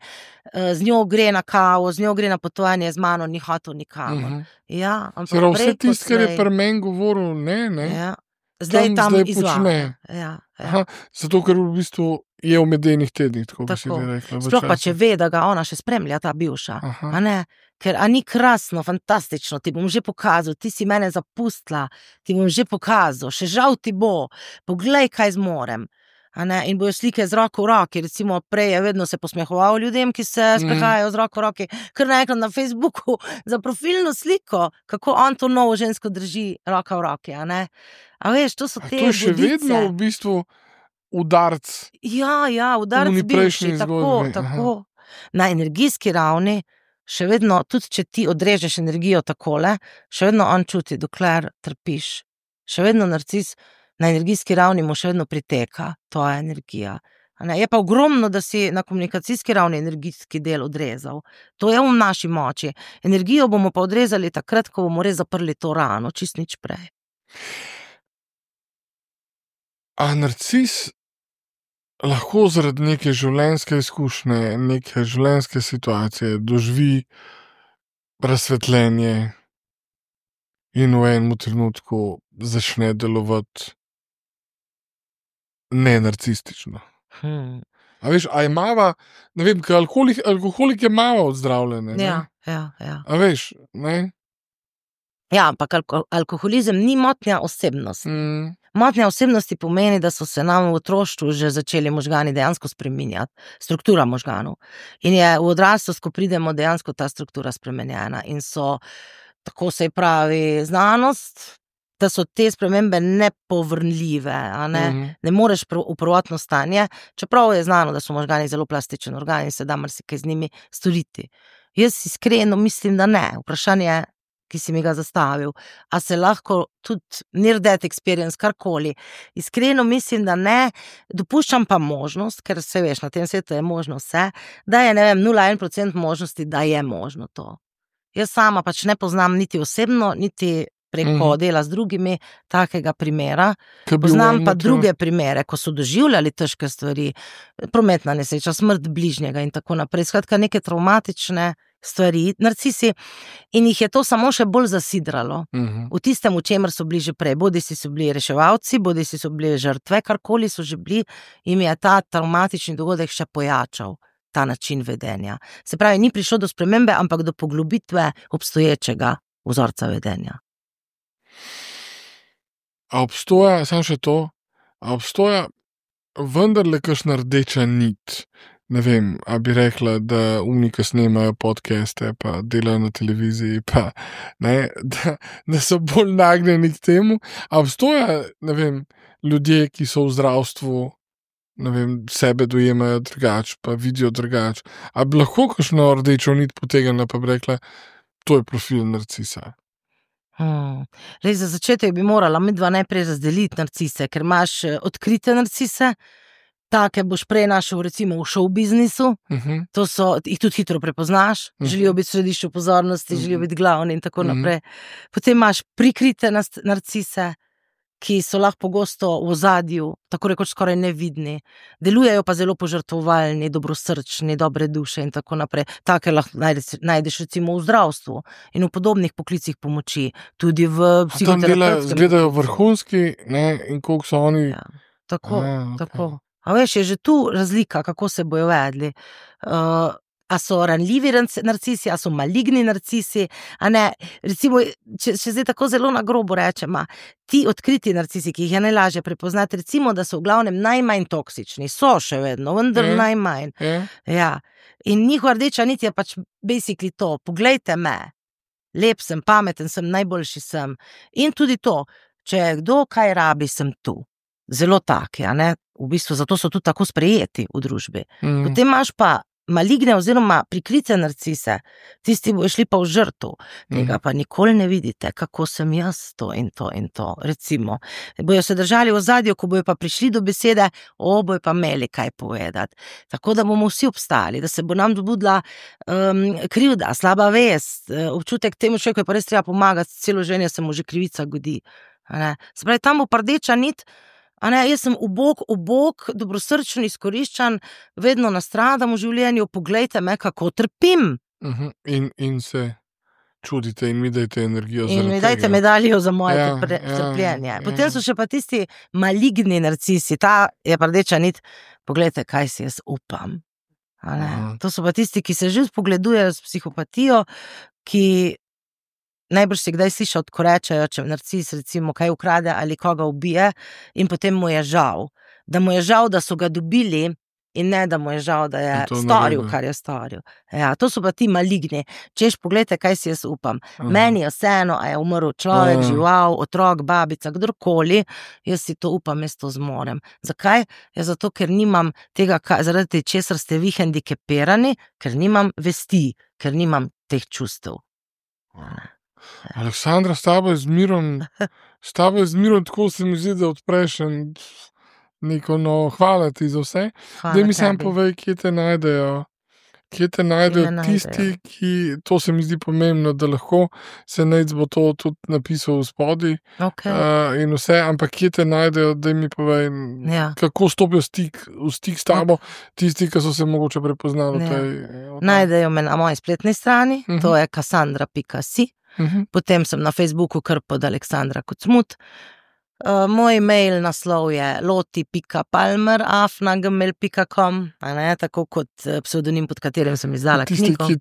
S2: z njo gre na kavo, z njo gre na potovanje, z mano ni hotel nikamor. Ja, ampak
S1: vse tisto, kar je pri meni govoril, ne.
S2: Ja. Zdaj tam
S1: izvaja.
S2: Ja.
S1: Aha, zato, ker v bistvu je v medenih tednih, tako bi si rekla.
S2: Sploh pa, če ve, da ga ona še spremlja, ta bivša. A ne? Ker a ni krasno, fantastično, ti bom že pokazal, ti si mene zapustila, ti bom že pokazal, še žal ti bo, poglej, kaj zmorem. A ne? In bojo slike z roko v roki, recimo prej je vedno se posmehoval ljudem, ki se sprehajajo z roko v roki, ker naenkrat na Facebooku za profilno sliko, kako on to novo žensko drži roka v roki, a ne? A veš, to so te
S1: budice. To je še vedno v bistvu udarc.
S2: Ja, udarc bivši, tako. Na energijski ravni še vedno, tudi če ti odrežeš energijo takole, še vedno on čuti, dokler trpiš. Še vedno narcis na energijski ravni mu še vedno priteka tvoja energija. Je pa ogromno, da si na komunikacijski ravni energijski del odrezal. To je v naši moči. Energijo bomo pa odrezali takrat, ko bomo res zaprli to rano, čist nič prej.
S1: A narcis lahko zaradi neke življenjske izkušnje, neke življenjske situacije doživi razsvetljenje in v enem trenutku začne delovati nenarcistično. A veš, a je mava, ne vem, alkoholik je mava ozdravljene.
S2: Ja.
S1: A veš, ne?
S2: Ja, ampak alkoholizem ni motnja osebnosti. Motnja osebnosti pomeni, da so se nam v otroštvu že začeli možgani dejansko spreminjati, struktura možganov. In je v odraslost, ko pridemo, dejansko ta struktura spremenjena. In so, tako se pravi znanost, da so te spremembe nepovrnljive, a ne? Ne moreš v prvotno stanje, čeprav je znano, da so možgani zelo plastičen organ in se da marsikaj z njimi storiti. Jaz iskreno mislim, da ne. Vprašanje, ki si mi ga zastavil, a se lahko tudi near death experience, karkoli. Iskreno mislim, da ne, dopuščam pa možnost, ker se veš, na tem svetu je možno vse, da je, 0,1% možnosti, da je možno to. Jaz sama pač ne poznam niti osebno, niti preko dela z drugimi takega primera. Poznam pa druge primere, ko so doživljali težke stvari, prometna nesreča, smrt bližnjega in tako naprej. Skratka, neke travmatične stvari, narcisi, in jih je to samo še bolj zasidralo. V tistem, v čemer so bili že prej. Bodisi so bili reševalci, bodisi so bili žrtve, karkoli so že bili, jim je ta travmatični dogodek še pojačal ta način vedenja. Se pravi, ni prišlo do spremembe, ampak do poglobitve obstoječega vzorca vedenja.
S1: A obstoja, samo še to, a obstoja vendarle kakšna rdeča nit? Ne vem, a bi rekla, da ki snemajo podcaste, pa delajo na televiziji, pa ne, da so bolj nagnjeni k temu. A obstoja, ne vem, ljudje, ki so v zdravstvu, ne vem, sebe dojemajo drugače, pa vidijo drugače. A bi lahko kakšno rdečo nit potegnila, pa bi rekla, to je profil narcisa?
S2: Lej, za začetek bi morala midva najprej razdeliti narcise, ker imaš odkrite narcise, take boš prej našel recimo v show biznisu, to so, jih tudi hitro prepoznaš, želijo biti v središču pozornosti, želijo biti glavni in tako naprej. Potem imaš prikrite narcise, ki so lahko pogosto v ozadju, tako rekoč skoraj nevidni, delujejo pa zelo požrtvovalni, dobrosrčni, dobre duše in tako naprej. Take lahko najdeš recimo v zdravstvu in v podobnih poklicih pomoči, tudi v psihoterapevtskem.
S1: Zgledajo vrhunski, ne, in koliko so oni.
S2: Ja, tako. A veš, je že tu razlika, kako se bojo vedli. A so ranljivi narcisi, a so maligni narcisi, a ne, recimo, če zdaj tako zelo na grobo rečem, ti odkriti narcisi, ki jih je najlažje prepoznati, recimo, da so v glavnem najmanj toksični, so še vedno, vendar najmanj. Ja. In njihova rdeča nit je pač basically to, poglejte me, lep sem, pameten sem, najboljši sem. In tudi to, če kdo kaj rabi, sem tu. Zelo taki, a ne, v bistvu zato so tudi tako sprejeti v družbi. Potem imaš pa maligne oziroma prikrite narcise, tisti bojo šli pa v žrtev, tega pa nikoli ne vidite, kako sem jaz to in to in to, recimo. Bojo se držali v ozadju, ko bojo pa prišli do besede, bojo pa imeli kaj povedati. Tako da bomo vsi obstali, da se bo nam dobudila krivda, slaba vest, občutek temu človeku je pa res treba pomagati, celo življenje se mu že krivica godi. Se pravi, tam bo pa rdeča nit, jaz sem ubog, dobrosrčen, izkoriščan, vedno nastradam v življenju, poglejte me, kako trpim.
S1: In se čudite in mi dajte energijo za
S2: in mi dajte medaljo za moje trpljenje. Potem so še pa tisti maligni narcisi, ta je pa rdeča nit, poglejte, kaj si jaz upam. To so pa tisti, ki se že spogledujejo s psihopatijo, ki najbrž si kdaj slišal, ko rečejo, če narcis recimo kaj ukrade ali koga ubije in potem mu je žal. Da mu je žal, da so ga dobili in ne, da mu je žal, da je storil, kar je storil. Ja, to so pa ti maligni. Češ, poglejte, kaj si jaz upam. Meni je vseeno, a je umrl človek, žival, otrok, babica, kdorkoli, jaz si to upam, jaz to zmorem. Zakaj? Ja, zato, ker nimam tega, zaradi česar ste vi hendikepirani, ker nimam vesti, ker nimam teh čustev.
S1: Aleksandra, s tabo je zmirom, tako se mi zdi, da odpreš neko, hvala ti za vse. Daj mi sam povej, kje te najdejo tisti, ki, to se mi zdi pomembno, da lahko se Nejc bo to tudi napisal v spodaj in vse, ampak kje te najdejo, daj mi povej, kako stopijo v stik s tabo, tisti, ki so se mogoče prepoznali.
S2: Najdejo me na moji spletni strani, to je cassandra.si. Potem sem na Facebooku kar pod Aleksandra Kocmut. Moj mail naslov je loti.palmer@gmail.com, tako kot psevdonim, pod katerim sem izdala knjigo.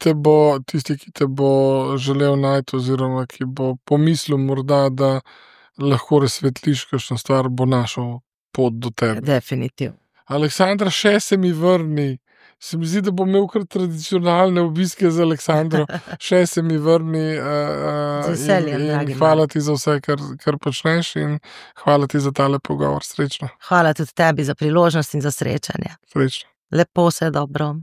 S1: Tisti, ki te bo želel najti oziroma ki bo pomislil morda, da lahko razsvetliš kakšno stvar, bo našel pot do tebe.
S2: Definitivno.
S1: Aleksandra, še se mi vrni. Se mi zdi, da bom imel kar tradicionalne obiske z Aleksandro, še se mi vrni in hvala ti za vse, kar počneš in hvala ti za tale pogovor. Srečno.
S2: Hvala tudi tebi za priložnost in za srečanje.
S1: Srečno.
S2: Lepo, vse dobro.